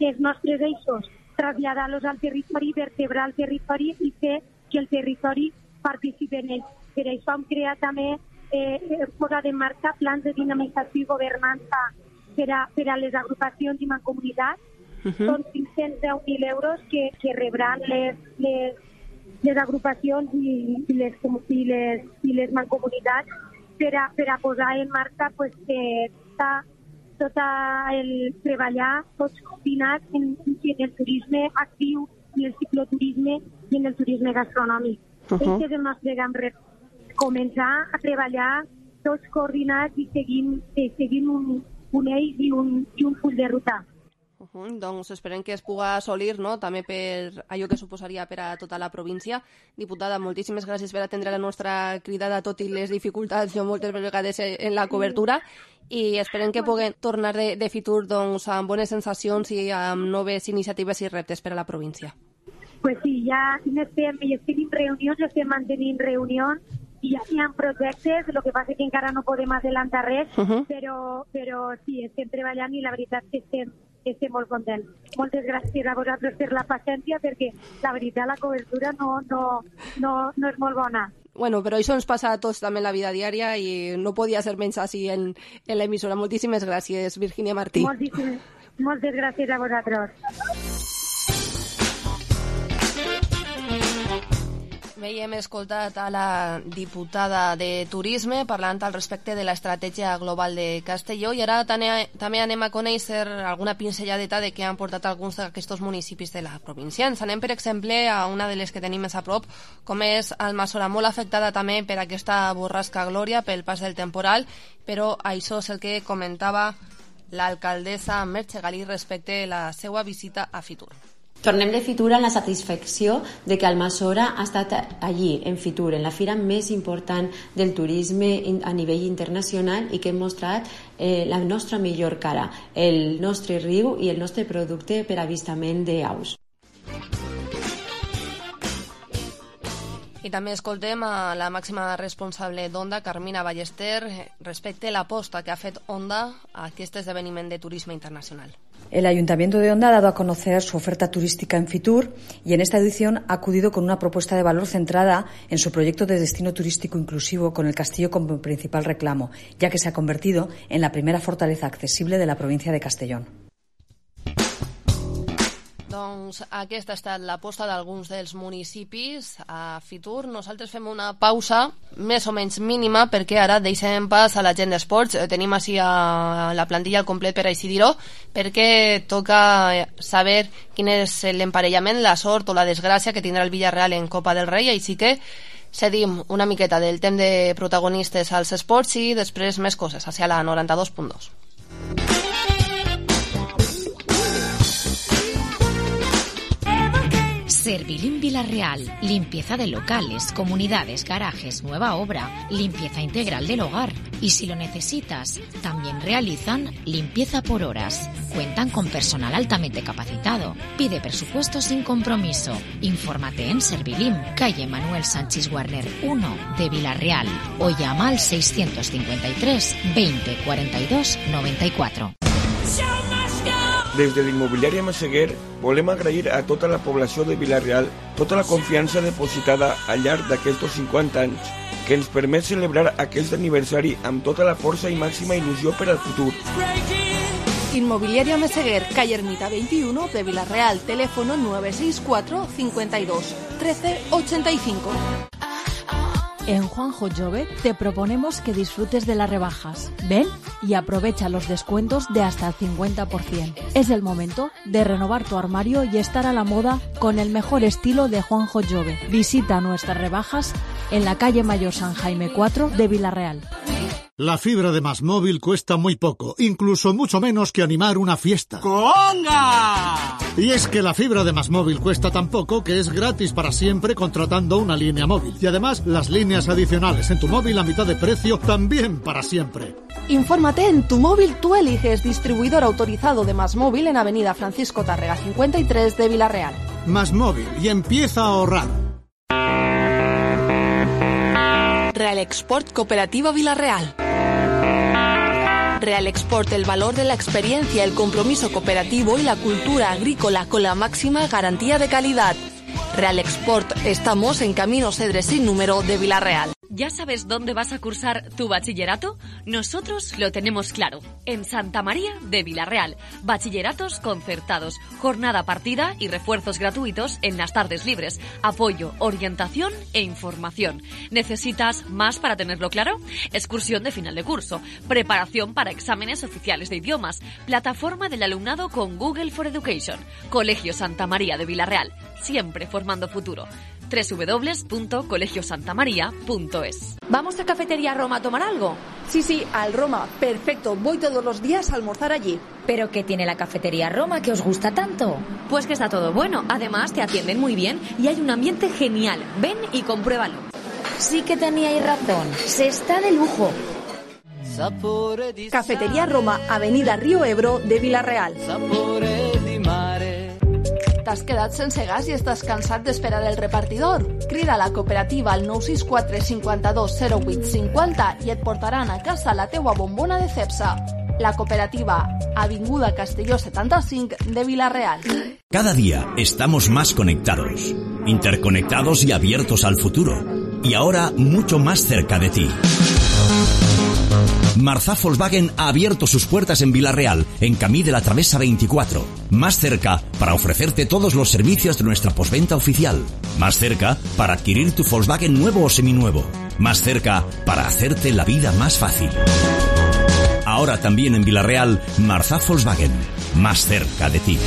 S1: els nostres eixos, traslladar-los al territori, vertebrar el territori i fer que el territori participi en ell. Per això hem creat també, eh, posat en marxa plans de dinamització i governança per a, per a les agrupacions i mancomunitats. Uh -huh. Són cinc-cents deu mil euros que, que rebran les, les, les agrupacions i, i, les, i, les, i les mancomunitats per a, per a posar en marxa pues, eh, tot el treballar tots combinats en, en el turisme actiu, en el cicloturisme i en el turisme gastronòmic. Uh -huh. Aquest és el nostre gran repte. Començar a treballar tots coordinats i seguint, i seguint un, un eix i un, i un full de ruta.
S2: Uh -huh. Doncs esperem que es pugui assolir, no?, també per allò que suposaria per a tota la província. Diputada, moltíssimes gràcies per atendre la nostra cridada, tot i les dificultats jo moltes vegades en la cobertura, i esperem que puguem tornar de, de futur doncs, amb bones sensacions i amb noves iniciatives i reptes per a la província.
S1: Pues sí, ja estem, ja estem en reunions, estem mantenint reunions i ja hi ha projectes, el que passa que encara no podem adelantar res, uh -huh. però, però sí, estem treballant i la veritat que estem estem molt contents. Moltes gràcies a vosaltres per la paciència, perquè la veritat la cobertura no, no, no, no és molt bona.
S2: Bueno, però això ens passa a tots també en la vida diària i no podia ser menys així en, en l'emissora. Moltíssimes gràcies, Virginia Martí.
S1: Moltíssimes, moltes gràcies a vosaltres.
S2: Veiem escoltat a la diputada de Turisme parlant al respecte de l'estratègia global de Castelló i ara també anem a conèixer alguna pinzelladeta de què han portat alguns d'aquests municipis de la província. Ens anem, per exemple, a una de les que tenim més a prop, com és Almassora, molt afectada també per aquesta borrasca Glòria, pel pas del temporal, però això és el que comentava l'alcaldessa Merche Galí respecte a la seva visita a Fitur.
S3: Tornem de Fitur amb la satisfacció de que Almassora ha estat allí, en Fitur, en la fira més important del turisme a nivell internacional i que hem mostrat eh, la nostra millor cara, el nostre riu i el nostre producte per avistament d'aus.
S2: I també escoltem a la màxima responsable d'Onda, Carmina Ballester, respecte a l'aposta que ha fet Onda a aquest esdeveniment de turisme internacional.
S22: El Ayuntamiento de Onda ha dado a conocer su oferta turística en Fitur y en esta edición ha acudido con una propuesta de valor centrada en su proyecto de destino turístico inclusivo con el castillo como principal reclamo, ya que se ha convertido en la primera fortaleza accesible de la provincia de Castellón.
S2: Doncs aquesta ha estat l'aposta d'alguns dels municipis a Fitur. Nosaltres fem una pausa més o menys mínima perquè ara deixem pas a la gent d'esports. Tenim així a la plantilla al complet, per així dir-ho, perquè toca saber quin és l'emparellament, la sort o la desgràcia que tindrà el Villarreal en Copa del Rei, així que cedim una miqueta del temps de protagonistes als esports i després més coses, hacia la noranta-dos punt dos.
S4: Servilim Villarreal, limpieza de locales, comunidades, garajes, nueva obra, limpieza integral del hogar. Y si lo necesitas, también realizan limpieza por horas. Cuentan con personal altamente capacitado. Pide presupuesto sin compromiso. Infórmate en Servilim, calle Manuel Sánchez Warner uno de Villarreal o llama al seiscientos cincuenta y tres veinte cuarenta y dos noventa y cuatro.
S23: Des de l'immobiliària Massaguer volem agrair a tota la població de Villarreal tota la confiança depositada al llarg d'aquests cinquanta anys que ens permet celebrar aquest aniversari amb tota la força i màxima il·lusió per al futur.
S17: Inmobiliaria Meseguer, calle Ermita veintiuno de Villarreal, teléfono nueve seis cuatro cincuenta y dos trece ochenta y cinco.
S7: En Juanjo Jove te proponemos que disfrutes de las rebajas. Ven y aprovecha los descuentos de hasta el cincuenta por ciento. Es el momento de renovar tu armario y estar a la moda con el mejor estilo de Juanjo Jove. Visita nuestras rebajas en la calle Mayor San Jaime cuatro de Villarreal.
S19: La fibra de Más Móvil cuesta muy poco, incluso mucho menos que animar una fiesta.
S24: ¡Conga!
S19: Y es que la fibra de Más Móvil cuesta tan poco que es gratis para siempre contratando una línea móvil. Y además, las líneas adicionales en tu móvil a mitad de precio también para siempre.
S17: Infórmate en Tu Móvil Tú Eliges, distribuidor autorizado de Más Móvil en Avenida Francisco Tárrega cincuenta y tres de Villarreal.
S19: Más Móvil y empieza a ahorrar.
S17: Real Export Cooperativa Villarreal. Real Export, el valor de la experiencia, el compromiso cooperativo y la cultura agrícola con la máxima garantía de calidad. Real Export, estamos en Camino Cedres sin número de Villarreal.
S12: ¿Ya sabes dónde vas a cursar tu bachillerato? Nosotros lo tenemos claro. En Santa María de Villarreal. Bachilleratos concertados, jornada partida y refuerzos gratuitos en las tardes libres. Apoyo, orientación e información. ¿Necesitas más para tenerlo claro? Excursión de final de curso. Preparación para exámenes oficiales de idiomas. Plataforma del alumnado con Google for Education. Colegio Santa María de Villarreal. Siempre formando futuro. doble u doble u doble u punto colegio santa maría punto es.
S17: ¿Vamos a Cafetería Roma a tomar algo? Sí, sí, al Roma. Perfecto, voy todos los días a almorzar allí.
S25: ¿Pero qué tiene la Cafetería Roma que os gusta tanto?
S12: Pues que está todo bueno. Además, te atienden muy bien y hay un ambiente genial. Ven y compruébalo.
S25: Sí que teníais razón. Se está de lujo.
S17: Cafetería Roma, Avenida Río Ebro de Villarreal. T'has quedat sense gas i estàs cansat d'esperar el repartidor? Crida a la cooperativa al nou sis quatre cinquanta-dos zero vuit cinquanta i et portaran a casa la teua bombona de Cepsa. La cooperativa, Avinguda Castelló setenta y cinco de Villarreal.
S26: Cada día estamos más conectados, interconectados y abiertos al futuro. Y ahora mucho más cerca de ti. Marzá Volkswagen ha abierto sus puertas en Vila-real, en Camí de la Travesa veinticuatro. Más cerca para ofrecerte todos los servicios de nuestra postventa oficial. Más cerca para adquirir tu Volkswagen nuevo o seminuevo. Más cerca para hacerte la vida más fácil. Ahora también en Vila-real, Marzá Volkswagen. Más cerca de ti.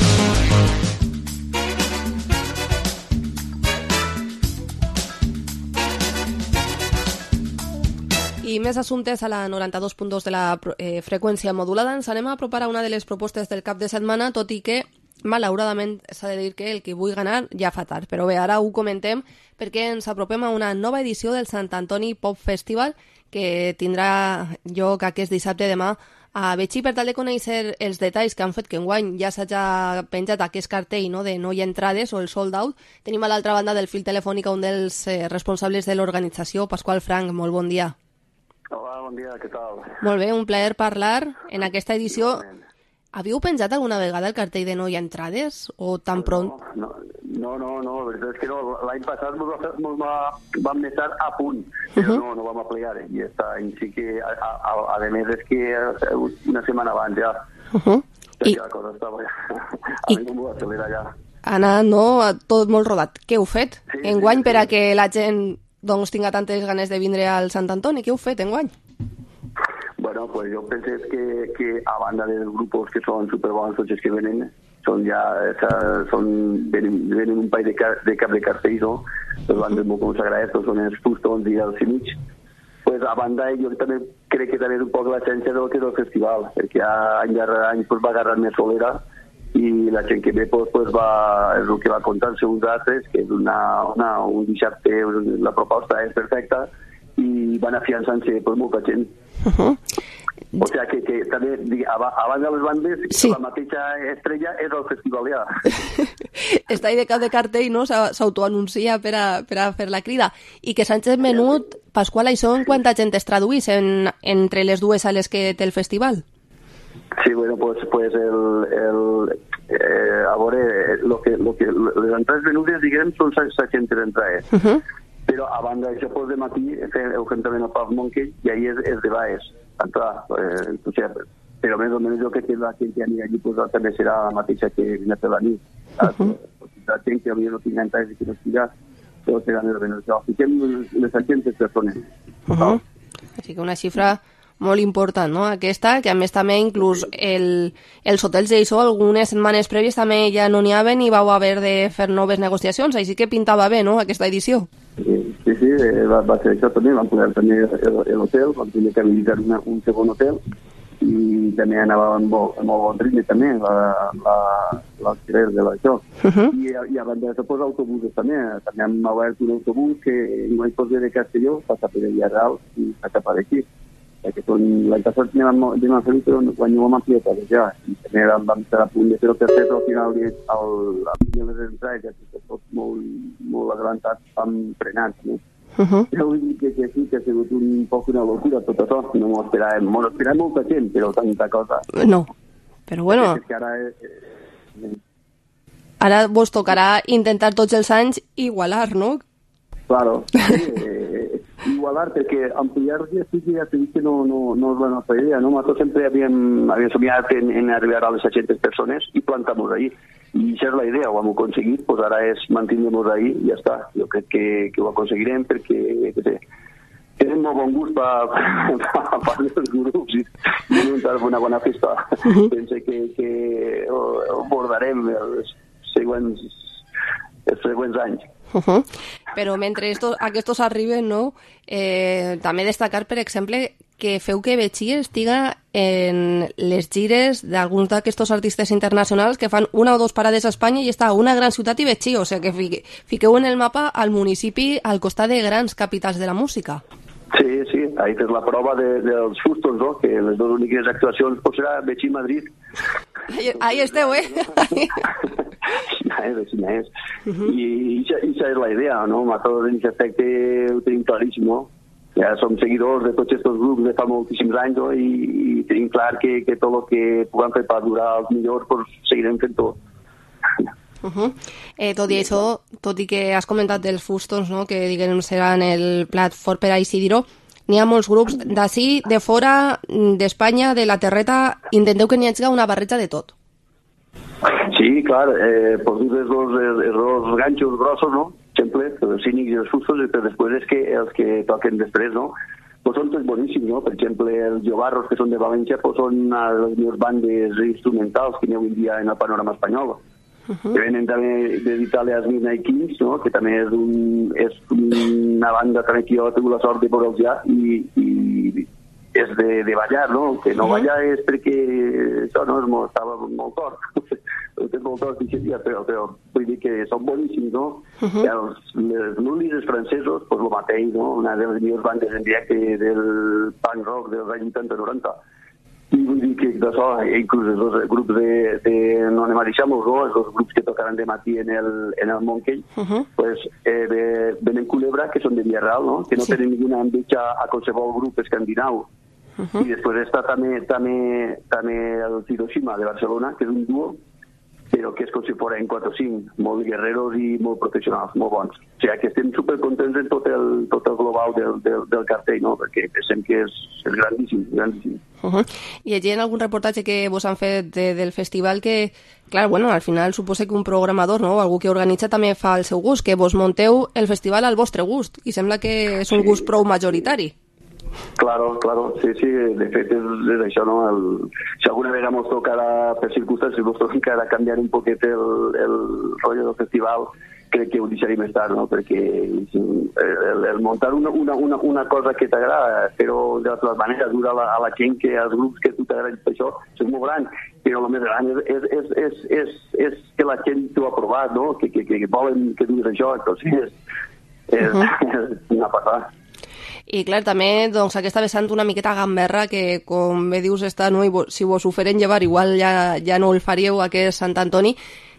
S2: I més assumptes a la noranta-dos punt dos de la eh, freqüència modulada. Ens anem a apropar a una de les propostes del cap de setmana, tot i que, malauradament, s'ha de dir que el que vull ganar ja fa tard. Però bé, ara ho comentem perquè ens apropem a una nova edició del Sant Antoni Pop Festival que tindrà lloc aquest dissabte demà a Betxí, per tal de conèixer els detalls que han fet que enguany ja s'hagi penjat aquest cartell, no?, de no hi ha entrades o el sold out. Tenim a l'altra banda del fil telefònic un dels eh, responsables de l'organització, Pasqual Frank. Molt bon dia.
S5: Hola, bon dia, què tal?
S2: Molt bé, un plaer parlar en aquesta edició. Havíeu penjat alguna vegada el cartell de no hi ha entrades o tan pront?
S5: No, no, no, no, la veritat és que no. L'any passat mos va fer, mos va, vam estar a punt, però uh -huh. no, no vam aplicar. I aquest any sí que, a, a, a, a més, és que una setmana abans ja.
S2: Uh -huh.
S5: I la cosa estava ja. A mi no m'ho va accelerar ja.
S2: Ha anat, no?, tot molt rodat. Què heu fet sí, enguany sí, sí. per a que la gent doncs tinga tantes ganes de vindre al Sant Antoni? Què heu fet enguany?
S5: Bueno, pues jo penso que, que a banda dels grups que són superbons tots els que venen, són ja, són, venen, venen un parell de, car, de cap de cartells, no? Les bandes molt consagrades, són els Fustons i els Cimits. Pues a banda, jo també crec que també és un poc l'essència del que és el festival, perquè any darrere any pues, va agarrar més solera i la gent que ve pues, pues, va, és el que va contar-se uns altres, que és una, una, un dissabte, la proposta és perfecta i van afiançant-se pues, molta gent. Uh -huh. O sigui que, que també, abans de les bandes, sí. La mateixa estrella és el festival ja.
S2: Està ahí de cap de cartell, no?, s'autoanuncia per, a, per a fer la crida. I que Sánchez Menut, Pasqual, això en quanta gent es traduís en, entre les dues sales que té el festival?
S5: Sí, bueno, pues, pues el, el, eh, a veure, lo que, lo que, les entrades venudes, diguem, són seixanta entrades. Uh -huh. Però a banda d'això, pues, de matí, heu fet també el Pub Monkey i ahir és, és de baix. Entrar, eh, o sigui, però més o menys jo crec que la gent que anirà allí pues, també serà la mateixa que vine per la nit. Uh -huh. La gent que havia no tingut entrades i que no estiga, però serà més o menys això. Fiquem les seixanta persones.
S2: Uh -huh. Així que una xifra molt important, no?, aquesta, que a més també inclús el, els hotels d'això, algunes setmanes prèvies també ja no n'hi haven i vau haver de fer noves negociacions, així que pintava bé, no?, aquesta edició.
S5: Sí, sí, sí va, va ser això també, vam poder tenir l'hotel, vam tenir que habilitar una, un segon hotel i també anava amb molt, amb molt bon ritme també, l'alquiler de l'això. Uh -huh. I, i a banda d'això, pues, autobusos també, també hem obert un autobús que no hi pot de Castelló, passa per Villarreal i passa cap d'aquí. Que l'any passat anem a fer-ho, però quan ho vam ampliar ja, i també vam estar a punt de fer el tercer, però al final el les entrades, ja que tot molt, molt adelantat, vam frenar, no? Uh -huh. Ja vull dir que, que sí, que ha sigut un poc una locura tot això, no m'ho esperàvem, m'ho esperàvem molta gent, però tanta cosa.
S2: No, però bueno...
S5: És que ara... Eh,
S2: ara vos tocarà intentar tots els anys igualar, no?
S5: Claro, sí, eh, igualar, perquè ampliar ja sí que ja t'he dit que no, no, no és la nostra idea, no? Nosaltres sempre havíem, havíem somiat en, en arribar a les seixanta persones i plantar-nos ahí. I això és la idea, ho hem aconseguit, pues ara és mantenir-nos ahí i ja està. Jo crec que, que ho aconseguirem perquè, que sé, tenen molt bon gust per part dels grups i muntar una bona festa. Uh-huh. Pense que, que ho, ho abordarem els següents, els següents anys.
S2: Uh -huh. Però mentre estos, aquests arriben, no? Eh, també destacar, per exemple, que feu que Betxí estiga en les gires d'alguns d'aquests artistes internacionals que fan una o dos parades a Espanya i està a una gran ciutat i Betxí, o sigui que fique, fiqueu en el mapa al municipi al costat de grans capitals de la música.
S5: Sí, sí, ahí tens la prova de, dels Fustons, no? Que les dues úniques actuacions pues, serà Betxí i Madrid.
S2: Ahí, ahí esteu, eh?
S5: Ja és, així és. Uh -huh. I això és la idea, no? Nosaltres en aquest aspecte ho tenim claríssim, no? Ja som seguidors de tots aquests grups de fa moltíssims anys, no? I, i tenim clar que, que tot el que puguem fer per durar els millors, pues, seguirem fent-ho.
S2: Uh -huh. eh, tot i això, tot i que has comentat dels Fustons, no? Que diguem seran el plat fort per així dir-ho, n'hi ha molts grups d'ací, de fora, d'Espanya, de la terreta, intenteu que n'hi hagi una barreja de tot.
S5: Sí, clar, eh, pues dius els dos, els dos ganxos grossos, no? Sempre, els cínics i els fustos, però després és que els que toquen després, no? Pues són tots boníssims, no? Per exemple, els Jovarros, que són de València, pues són les millors bandes instrumentals que hi ha avui dia en el panorama espanyol. Uh-huh. Que venen també d'Itàlia els Midnight Kings, no? Que també és, un, és una banda també que jo he tingut la sort de veure'ls ja i, i és de, de ballar, no? Que no uh-huh. ballar és perquè això no és molt, estava molt tort. Tens molt tort, però, però vull dir que són boníssims, no? Uh-huh. Els, els nulis, els francesos, doncs el mateix, no? Una de les millors bandes en directe del punk rock dels anys vuitanta noranta. I vull dir que d'això, inclús els dos grups de, de no anem a deixar-nos, no? Els dos grups que tocaran de matí en el, en el Montcell, uh-huh. pues, eh, venen Culebra, que són de Villarreal, no? Que no sí. tenen ninguna enveja a qualsevol grup escandinau. Uh-huh. I després està també, també, també el Hiroshima de Barcelona, que és un duo, però que és com si foren quatre o cinc, molt guerreros i molt professionals, molt bons. O sigui que estem supercontents en tot el, tot el global del, del, del cartell, no? Perquè pensem que és, és grandíssim, grandíssim.
S2: Uh-huh. I allí en algun reportatge que vos han fet de, del festival que, clar, bueno, al final suposa que un programador, no?, algú que organitza també fa el seu gust, que vos monteu el festival al vostre gust, i sembla que és un gust prou majoritari.
S5: Claro, claro, sí, sí, de fet és, és això, no? El, si alguna vegada ens tocarà per circumstàncies, ens tocarà canviar un poquet el, el rotllo del festival, crec que ho deixaré més tard, no? Perquè el, el muntar una, una, una, una cosa que t'agrada, però de totes maneres dura a la, a la gent que als grups que tu t'agraden per això, és molt gran, però el més gran és, és, és, és, és, és que la gent t'ho ha provat, no? Que, que, que volen que diguis això, entonces és, és, uh-huh. és una passada.
S2: I clar, també doncs, aquesta vessant una miqueta gamberra que, com bé dius, està, no? I si vos ho feren llevar, igual ja, ja no el faríeu, aquest Sant Antoni.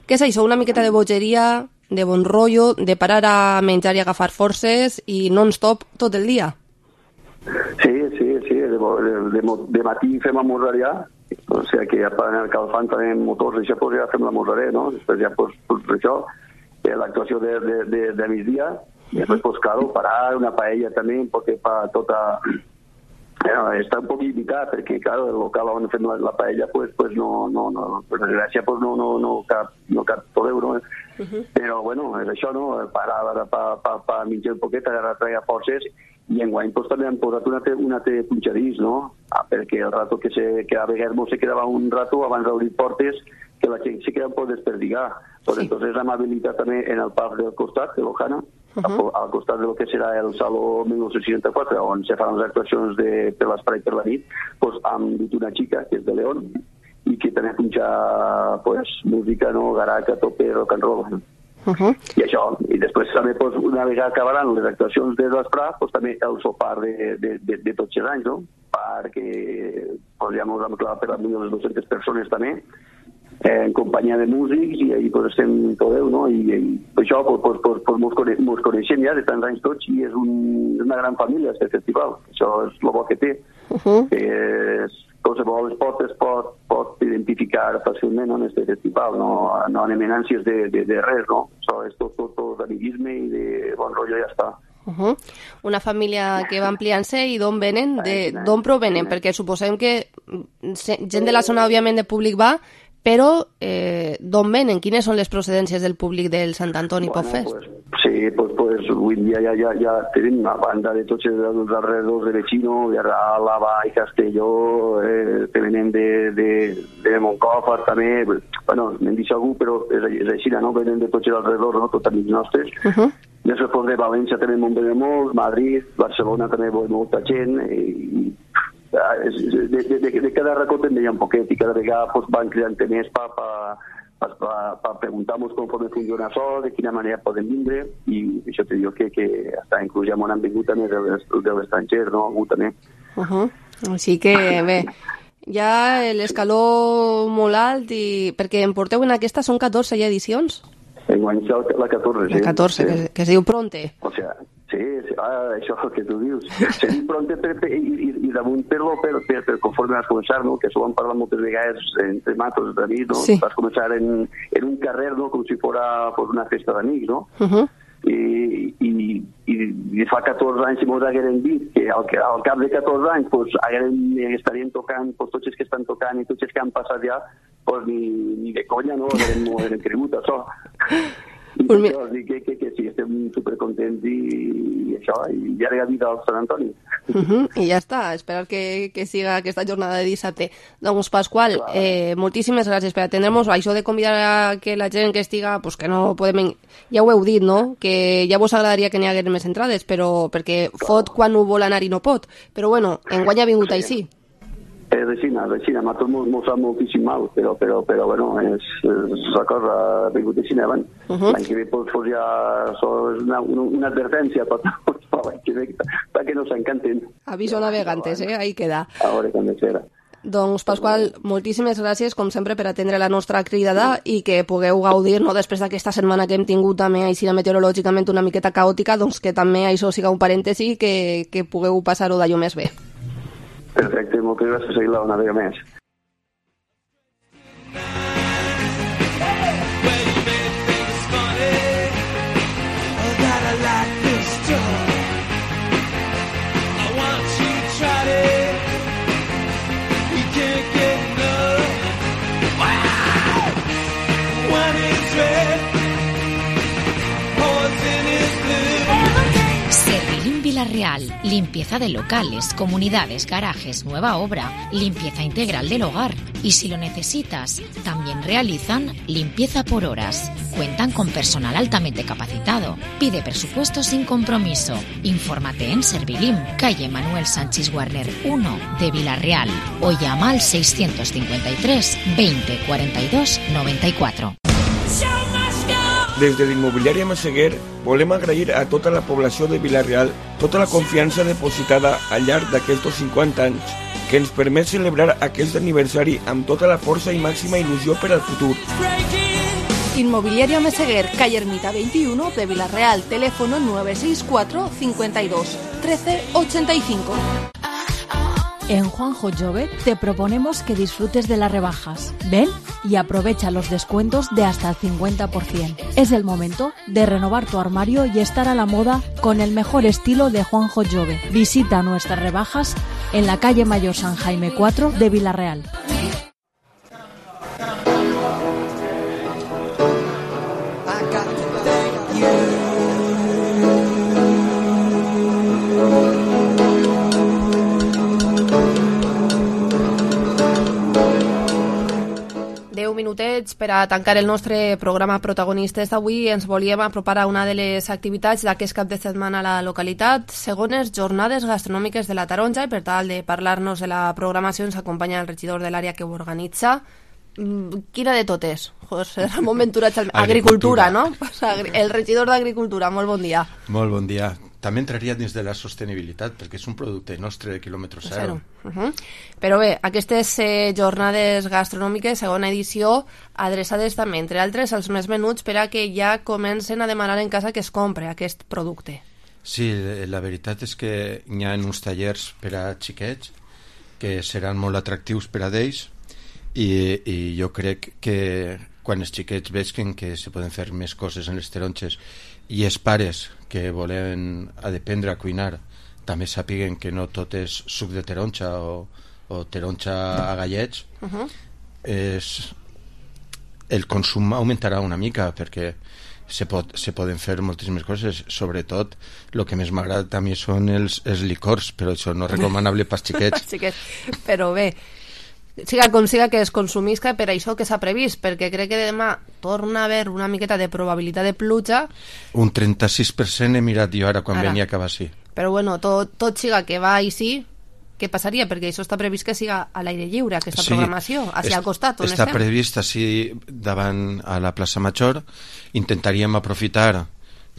S2: Què és això? Una miqueta de bogeria, de bon rotllo, de parar a menjar i agafar forces i non-stop tot el dia?
S5: Sí, sí, sí. De, de, de, de matí fem amorrarià, o sigui que ja en el calfant tenim motors, això pues, ja fem l'amorraré, no? Després ja, pues, pues, això, l'actuació de, de, de, de migdia, y después, pues claro, parar una paella també, perquè pa tota... Bueno, està un poc limitat, perquè, claro, el local on fem la, la paella, pues, pues no, no, no, per desgràcia, pues no, no, no cap, no cap tot euro, eh? Uh-huh. Però, bueno, és això, no? Parar pa, pa, pa menjar un poquet, agarrar treure forces, i enguany pues, també han posat un altre, un altre punxadís, no? Ah, perquè el rato que, se, que a vegades se quedava un rato abans d'obrir portes, que la gent se queda un poc desperdigar. Pues, sí. Entonces hem habilitat també en el pub del costat, de l'Ojana, uh-huh. al costat de lo que serà el Saló mil nou-cents seixanta-quatre, on se fan les actuacions de, per l'espai per la nit, pues, hem dit una xica, que és de León, i que també punxa pues, música, no? Garaca, tope, rock and roll. Uh-huh. I això, i després també pues, una vegada acabaran les actuacions de l'esprà, pues, també el sopar de, de, de, de tots els anys, no? Perquè pues, ja ens hem clavat per les mil dues-centes persones també, eh, en companyia de músics, i ahí pues, estem tot Déu, no? I, i això pues, pues, pues, pues, mos, coneix, mos coneixem ja de tants anys tots, i és, un, és una gran família, aquest festival. Això és el bo que té. Uh-huh. Que és, qualsevol es pot, es pot, pot identificar fàcilment no, en aquest festival, no, no en eminències de, de, de res, no? Això és tot, tot, tot d'amiguisme i de bon rotllo, ja està.
S2: Uh-huh. Una família que va ampliant-se, i d'on venen? D'on provenen? Perquè suposem que gent de la zona, òbviament, de públic va, però eh, d'on venen? Quines són les procedències del públic del Sant Antoni
S5: bueno,
S2: Pop Fest?
S5: Pues, sí, pues, pues avui dia ja, ja, ja tenim una banda de tots els alrededors de Vecino, de Àlava i Castelló, eh, que venen de, de, de Montcòfor també, bueno, n'hem dit algú, però és, és així, no? Venen de tots els alrededors, no? Tots amics nostres. Uh-huh. Després de València també en venen molts, Madrid, Barcelona també ve molta gent, i de, de, de, de cada racó també hi ha un poquet, i cada vegada pues, van creant més per pa, pa, pa, pa preguntar-nos com funciona això, de quina manera podem vindre, i això te diu que, que hasta inclús ja m'han vingut també de l'estranger, no? Algú també.
S2: Uh-huh. Així que bé, ja l'escaló molt alt, i perquè em porteu en aquesta, són catorze ja edicions?
S5: Enguany la catorze, sí.
S2: La catorze, sí. que, que es diu Pronte.
S5: O sea, sí, sí, ah, això que tu dius. Se diu Pronte per, per, i, i, i damunt per-lo, per, per, per conforme vas començar, no? Que això ho hem parlat moltes vegades entre matos d'amics, no? Sí. Vas començar en, en un carrer, no? Com si fos pues, una festa d'amics, no? Uh-huh. i, i, i fa catorze anys si mos hagueren dit que al, al cap de catorze anys pues, hagueren, estarien tocant pues, tots els que estan tocant i tots els que han passat ja, pues, ni, ni de conya no hagueren, no hagueren cregut això. I per això dic que, que, que sí, estem supercontents i, i això, i llarga vida al Sant Antoni.
S2: Uh -huh, I ja està, esperar que, que siga aquesta jornada de dissabte. Doncs Pasqual, eh, moltíssimes gràcies per atendre'ns. Això de convidar a que la gent que estiga, pues que no podem... Ja ho heu dit, no? Que ja vos agradaria que n'hi hagués més entrades, però perquè fot quan ho vol anar i no pot. Però bueno, enguany ha vingut així.
S5: És així, és així, a tots mos sap moltíssim mal, però, però, però bueno, és, és la cosa, ha vingut així, eh? Uh -huh. L'any que ve pues, pues ja és una, una, una advertència per l'any que ve, perquè no s'encanten.
S2: Aviso navegantes, eh? Ahí queda.
S5: A veure com serà.
S2: Doncs, Pasqual, moltíssimes gràcies, com sempre, per atendre la nostra cridada i que pugueu gaudir, no, després d'aquesta setmana que hem tingut també així meteorològicament una miqueta caòtica, doncs que també això siga un parèntesi que, que pugueu passar-ho d'allò més bé.
S5: Perfecte, moltes gràcies a la una vegada més.
S4: Villarreal, limpieza de locales, comunidades, garajes, nueva obra, limpieza integral del hogar. Y si lo necesitas, también realizan limpieza por horas. Cuentan con personal altamente capacitado. Pide presupuesto sin compromiso. Infórmate en Servilim, calle Manuel Sánchez Warner uno de Villarreal o llama al seiscientos cincuenta y tres veinte cuarenta y dos noventa y cuatro.
S23: Des de l'Immobiliària Massaguer volem agrair a tota la població de Vila-real tota la confiança depositada al llarg d'aquests cinquanta anys que ens permet celebrar aquest aniversari amb tota la força i màxima il·lusió per al futur.
S17: Inmobiliaria Meseguer, calle Ermita veintiuno de Vila-real, teléfono nueve seis cuatro cincuenta y dos trece ochenta y cinco.
S7: En Juanjo Jovet te proponemos que disfrutes de las rebajas. Ven y aprovecha los descuentos de hasta el cincuenta por ciento. Es el momento de renovar tu armario y estar a la moda con el mejor estilo de Juanjo Jovet. Visita nuestras rebajas en la calle Mayor San Jaime cuatro de Vila-real.
S2: deu minutets per a tancar el nostre programa Protagonistes d'avui. Ens volíem apropar a una de les activitats d'aquest cap de setmana a la localitat, segones jornades gastronòmiques de la Taronja, i per tal de parlar-nos de la programació ens acompanya el regidor de l'àrea que ho organitza. Quina de totes? José Ramon Ventura, Agricultura, no? El regidor d'Agricultura, molt bon dia.
S6: Molt bon dia. També entraria dins de la sostenibilitat, perquè és un producte nostre de quilòmetre zero.
S2: Uh -huh. Però bé, aquestes eh, jornades gastronòmiques, segona edició, adreçades també, entre altres, als més menuts per a que ja comencen a demanar en casa que es compre aquest producte.
S6: Sí, la veritat és que hi ha uns tallers per a xiquets que seran molt atractius per a d'ells, i, i jo crec que quan els xiquets veuen que se poden fer més coses en les taronges i els pares que volen aprendre a cuinar també sàpiguen que no tot és suc de taronja o, o taronja a gallets, uh -huh. és, el consum augmentarà una mica, perquè se, pot, se poden fer moltíssimes coses. Sobretot el que més m'agrada també són els, els licors, però això no és recomanable pels xiquets.
S2: xiquets. Però bé, siga com siga que es consumisca, per això que s'ha previst, perquè crec que demà torna a haver una miqueta de probabilitat de pluja.
S6: Un trenta-sis per cent he mirat jo ara quan ara. venia a acabar així.
S2: Però bueno, tot, tot siga que va així, què passaria? Perquè això està previst que siga a l'aire lliure, aquesta sí, programació, hacia al costat on
S6: està
S2: estem.
S6: previst així davant a la plaça Major. Intentaríem aprofitar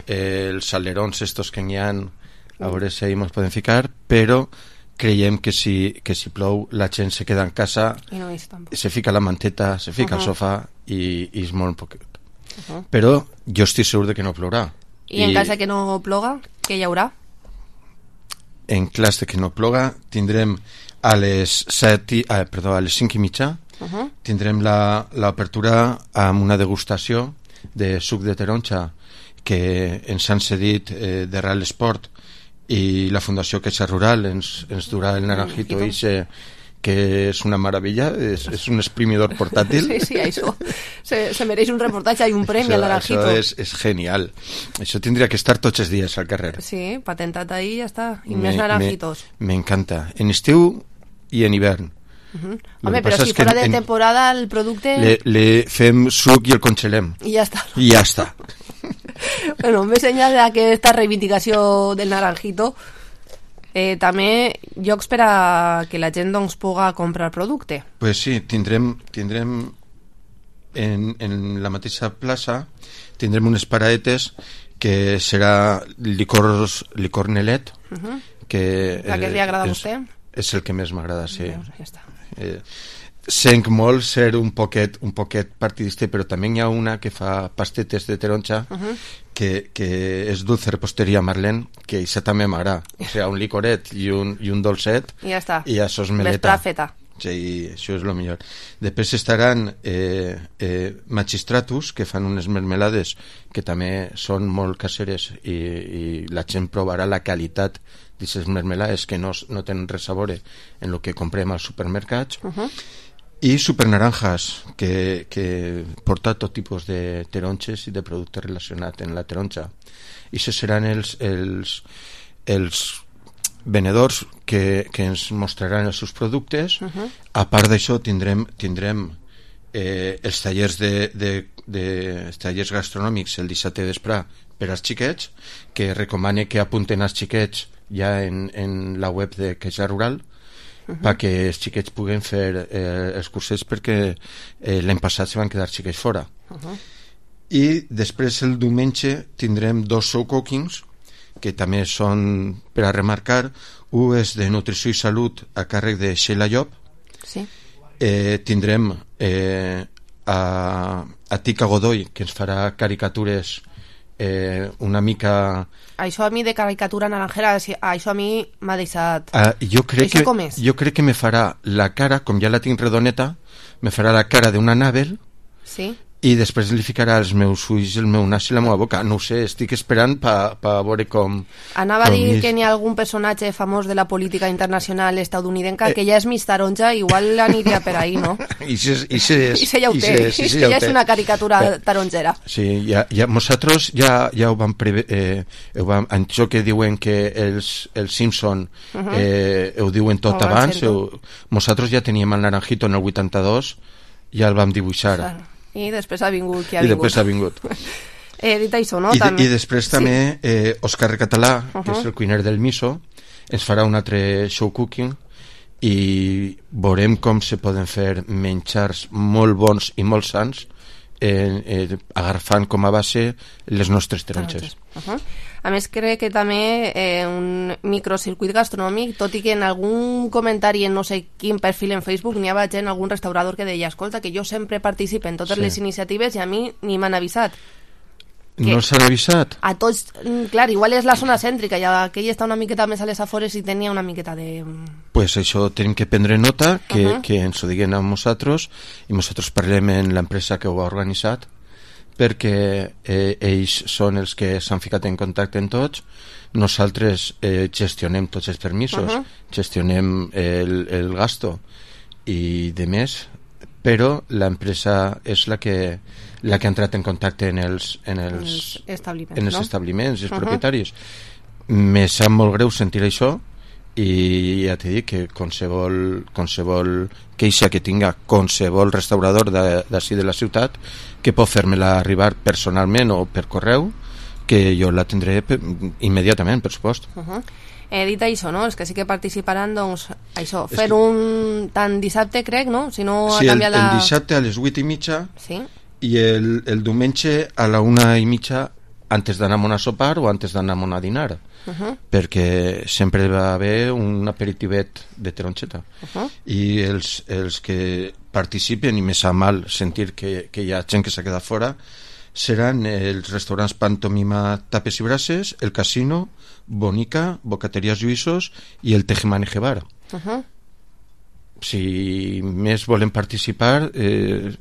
S6: eh, els salerons estos que n'hi ha, a veure si ahí ens podem ficar, però creiem que si, que si plou la gent se queda en casa,
S2: no
S6: se fica la manteta, se fica uh -huh. al sofà i, i és molt poquet. Uh -huh. Però jo estic segur de que no plourà.
S2: I, I en cas que no ploga, què hi haurà?
S6: En cas de que no ploga tindrem a les set i, ah, perdó, a les cinc i mitja uh -huh. tindrem l'obertura amb una degustació de suc de taronja que ens han cedit eh, de Real Sport i la Fundació Caixa Rural ens, ens durà el naranjito i se que és una meravella, és, és un exprimidor portàtil.
S2: Sí, sí, això se, se mereix un reportatge i un premi al naranjito.
S6: Això és, és genial. Això tindria que estar tots els dies al carrer.
S2: Sí, patentat ahí i ja està. I me, més naranjitos.
S6: Me, me encanta. En estiu i en hivern.
S2: Uh-huh. Home, però si fora de en, temporada el producte...
S6: Le, le fem suc i el congelem.
S2: I ja està.
S6: I ja està.
S2: Bueno, més enllà d'aquesta reivindicació del naranjito, Eh, també llocs per a que la gent doncs puga comprar el producte.
S6: Pues sí, tindrem tindrem en, en la mateixa plaça tindrem unes paradetes que serà licors, licor Nelet,
S2: uh-huh.
S6: que
S2: la que li agrada a vostè?
S6: És el que més m'agrada, sí.
S2: Veus, ja està.
S6: Eh, Senc molt ser un poquet, un poquet partidista, però també hi ha una que fa pastetes de taronja uh-huh. que, que és dulce reposteria Marlene, que això també m'agrada. O sigui, un licoret i un, i un dolcet
S2: i ja està.
S6: I això és meleta.
S2: Feta.
S6: Sí, això és el millor. Després estaran eh, eh, Magistratus, que fan unes mermelades que també són molt caseres i, i la gent provarà la qualitat d'aquestes mermelades que no, no tenen res a veure en el que comprem als supermercats. Uh-huh. I Supernaranjas, que, que porta tot tipus de taronges i de productes relacionats amb la taronja. I això seran els, els, els venedors que, que ens mostraran els seus productes. Uh-huh. A part d'això tindrem, tindrem eh, els tallers de, de, de els tallers gastronòmics el dissabte vespre per als xiquets, que recomane que apunten als xiquets ja en, en la web de Caixa Rural, uh-huh. perquè els xiquets puguen fer eh, els cursets, perquè eh, l'any passat se van quedar xiquets fora. Uh-huh. I després el diumenge tindrem dos show cookings que també són per a remarcar. Un és de nutrició i salut a càrrec de Sheila Llop.
S2: Sí.
S6: Eh, tindrem eh, a, a Tica Godoy, que ens farà caricatures eh, una mica...
S2: Això a mi de caricatura naranjera, això a mi m'ha deixat...
S6: Uh, jo, crec
S2: això
S6: que,
S2: com és?
S6: jo crec que me farà la cara, com ja la tinc redoneta, me farà la cara d'una Anabel.
S2: Sí.
S6: I després li ficarà els meus ulls, el meu nas i la meva boca. No ho sé, estic esperant per pa veure com...
S2: Anava com a dir és... que n'hi ha algun personatge famós de la política internacional estadounidenca eh... que ja és mig taronja, igual aniria per ahí, no?
S6: I se, i se,
S2: I se ja ho té, i se ja és una caricatura eh... taronjera.
S6: Sí, ja, ja, nosaltres ja, ja ho vam prever, eh, ho vam, això que diuen que els, els Simpson uh-huh. eh, ho diuen tot ho abans, nosaltres ja teníem el naranjito en el vuitanta-dos, ja el vam dibuixar. Claro.
S2: I després ha vingut qui ha
S6: I
S2: vingut.
S6: després ha vingut.
S2: eh, dit això, no?
S6: I,
S2: també...
S6: I després també sí. eh, Òscar Català, uh-huh. que és el cuiner del miso, ens farà un altre show cooking i veurem com se poden fer menjars molt bons i molt sants eh, eh, agafant com a base les nostres taronges.
S2: Uh-huh. A més, crec que també eh, un microcircuit gastronòmic, tot i que en algun comentari en no sé quin perfil en Facebook n'hi havia gent, algun restaurador que deia, escolta, que jo sempre participo en totes sí. les iniciatives i a mi ni m'han avisat.
S6: Que no s'han avisat?
S2: A tots, clar, igual és la zona cèntrica, ja aquell està una miqueta més a les afores i tenia una miqueta de...
S6: Pues això tenim que prendre nota, que,
S2: uh-huh.
S6: que ens ho diguen a nosaltres, i nosaltres parlem en l'empresa que ho ha organitzat, perquè eh, ells són els que s'han ficat en contacte amb tots. Nosaltres eh, gestionem tots els permisos, uh-huh. gestionem el, el gasto i de més, però l'empresa és la que, la que ha entrat en contacte en els, en els,
S2: els establiments,
S6: en els,
S2: no?
S6: establiments, els uh-huh. propietaris. Me sap molt greu sentir això, i ja t'he dit que qualsevol, qualsevol queixa que tinga qualsevol restaurador d'ací de, de la ciutat, que pot fer-me-la arribar personalment o per correu, que jo la tindré per, immediatament, per supost.
S2: Uh-huh. He dit això, no? Els que sí que participaran, doncs, això, fer que... un tant dissabte, crec, no? Si no
S6: sí,
S2: ha
S6: canviat
S2: el,
S6: la...
S2: el
S6: dissabte a les vuit i mitja
S2: sí?
S6: i el, el diumenge a la una i mitja, antes d'anar a sopar o antes d'anar a dinar. Uh-huh. Perquè sempre va haver un aperitivet de taronxeta. Uh-huh. I els, els que participen, i me sap mal sentir que, que hi ha gent que s'ha quedat fora, seran els restaurants Pantomima Tapes i Brases, el Casino, Bonica, Bocaterías Lluïsos i el Tejemaneje Bar. Uh-huh. Si més volen participar, eh,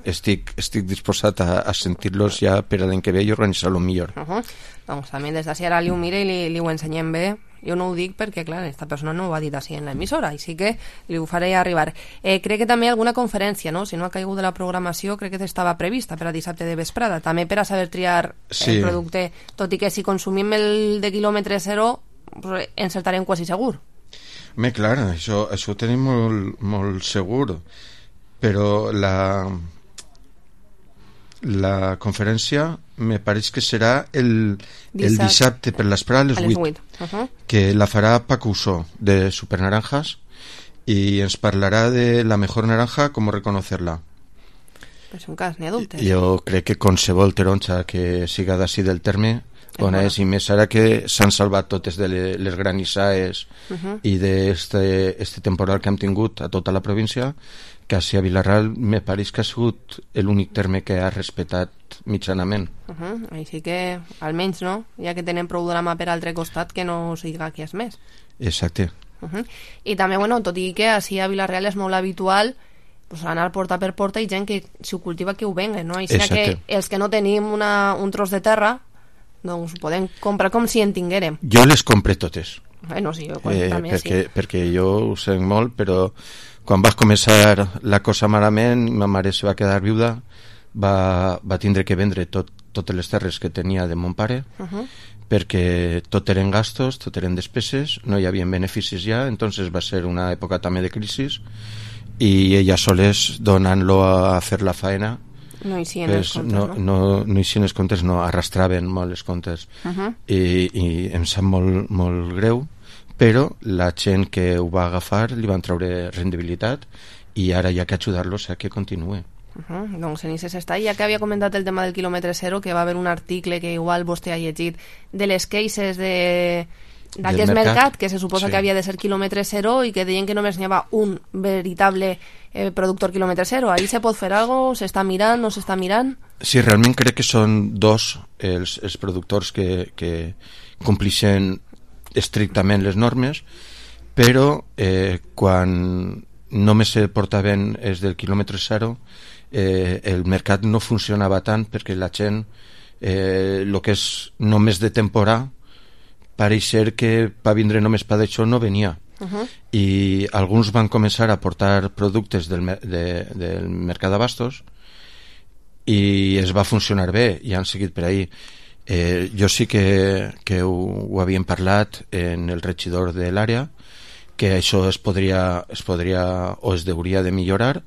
S6: estic, estic disposat a, a sentir-los ja per a l'any que ve i organitzar-lo millor.
S2: Uh -huh. Doncs també des d'ací ara li ho mire i li, li ho ensenyem bé. Jo no ho dic perquè, clar, esta persona no ho ha dit així en l'emissora, així que li ho faré arribar. Eh, crec que també alguna conferència, no? Si no ha caigut de la programació, crec que estava prevista per a dissabte de vesprada, també per a saber triar
S6: sí.
S2: el producte, tot i que si consumim el de quilòmetre zero, pues, encertarem quasi segur.
S6: Bé, clar, això, això ho tenim molt, molt segur, però la, la conferència me pareix que serà el, el dissabte per l'esprà a les vuit,
S2: uh -huh.
S6: que la farà Paco Usó de Supernaranjas i ens parlarà de la mejor naranja, com reconocerla.
S2: És un cas, n'hi ha dubtes.
S6: Jo crec que qualsevol taronja que siga d'ací del terme bona és, i més ara que s'han salvat totes de les granissades uh -huh. i d'este este temporal que hem tingut a tota la província, que a Vilarreal me pareix que ha sigut l'únic terme que ha respetat mitjanament.
S2: Uh -huh. Així que, almenys, no? Ja que tenen prou drama per altre costat, que no siga qui és més.
S6: Exacte.
S2: Uh -huh. I també, bueno, tot i que així a Vilarreal és molt habitual pues, anar porta per porta i gent que si ho cultiva que ho venguen, no? Així que els que no tenim una, un tros de terra doncs ho podem comprar com si en tinguérem.
S6: Jo les compre totes.
S2: Bueno, sí, jo
S6: eh,
S2: també
S6: perquè,
S2: sí.
S6: Perquè jo ho sé molt, però quan va començar la cosa malament, ma mare se va quedar viuda, va, va tindre que vendre tot, totes les terres que tenia de mon pare,
S2: uh -huh.
S6: perquè tot eren gastos, tot eren despeses, no hi havia beneficis ja, entonces va ser una època també de crisis, i ella soles donant-lo a fer la faena,
S2: no hi
S6: pues,
S2: els comptes,
S6: no,
S2: no?
S6: no, no hi els comptes, no, arrastraven molt els comptes.
S2: Uh -huh.
S6: I, i em sap molt, molt greu, però la gent que ho va agafar li van treure rendibilitat i ara hi ha que ajudar-los a que continuï.
S2: Uh -huh. Doncs en Ises està, ja que havia comentat el tema del quilòmetre zero, que va haver un article que igual vostè ha llegit de les cases de d'aquest mercat, mercat, que se suposa sí. que havia de ser quilòmetre zero i que deien que només n'hi havia un veritable eh, productor quilòmetre zero. Ahí se pot fer alguna cosa? S'està mirant? No s'està mirant?
S6: Sí, realment crec que són dos els, els productors que, que complixen estrictament les normes, però eh, quan només se portaven els del quilòmetre zero, eh, el mercat no funcionava tant perquè la gent, eh, el que és només de temporada, pareix ser que va vindre només per això no venia. Uh -huh. I alguns van començar a portar productes del, de, del mercat d'abastos i es va funcionar bé i han seguit per ahí. Eh, jo sí que, que ho, ho havíem parlat en el regidor de l'àrea, que això es podria, es podria o es hauria de millorar.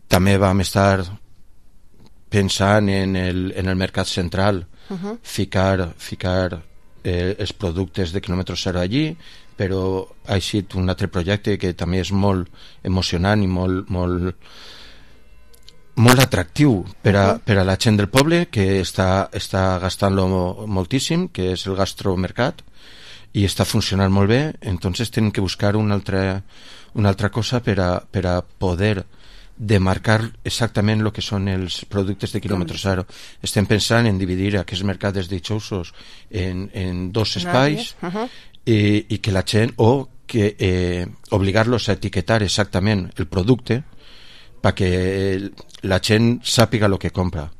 S6: També vam estar pensant en el, en el mercat central, uh -huh. ficar, ficar eh, els productes de quilòmetre zero allí, però ha sigut un altre projecte que també és molt emocionant i molt, molt, molt atractiu per a, per a la gent del poble, que està, està gastant-lo moltíssim, que és el gastromercat, i està funcionant molt bé. Entonces tenen que buscar una altra, una altra cosa per a, per a poder demarcar exactament el que són els productes de quilòmetre zero. Estem pensant en dividir aquests mercats ditxosos en, en dos espais, uh -huh. i, i que la gent, o que eh, obligar-los a etiquetar exactament el producte perquè la gent sàpiga el que compra.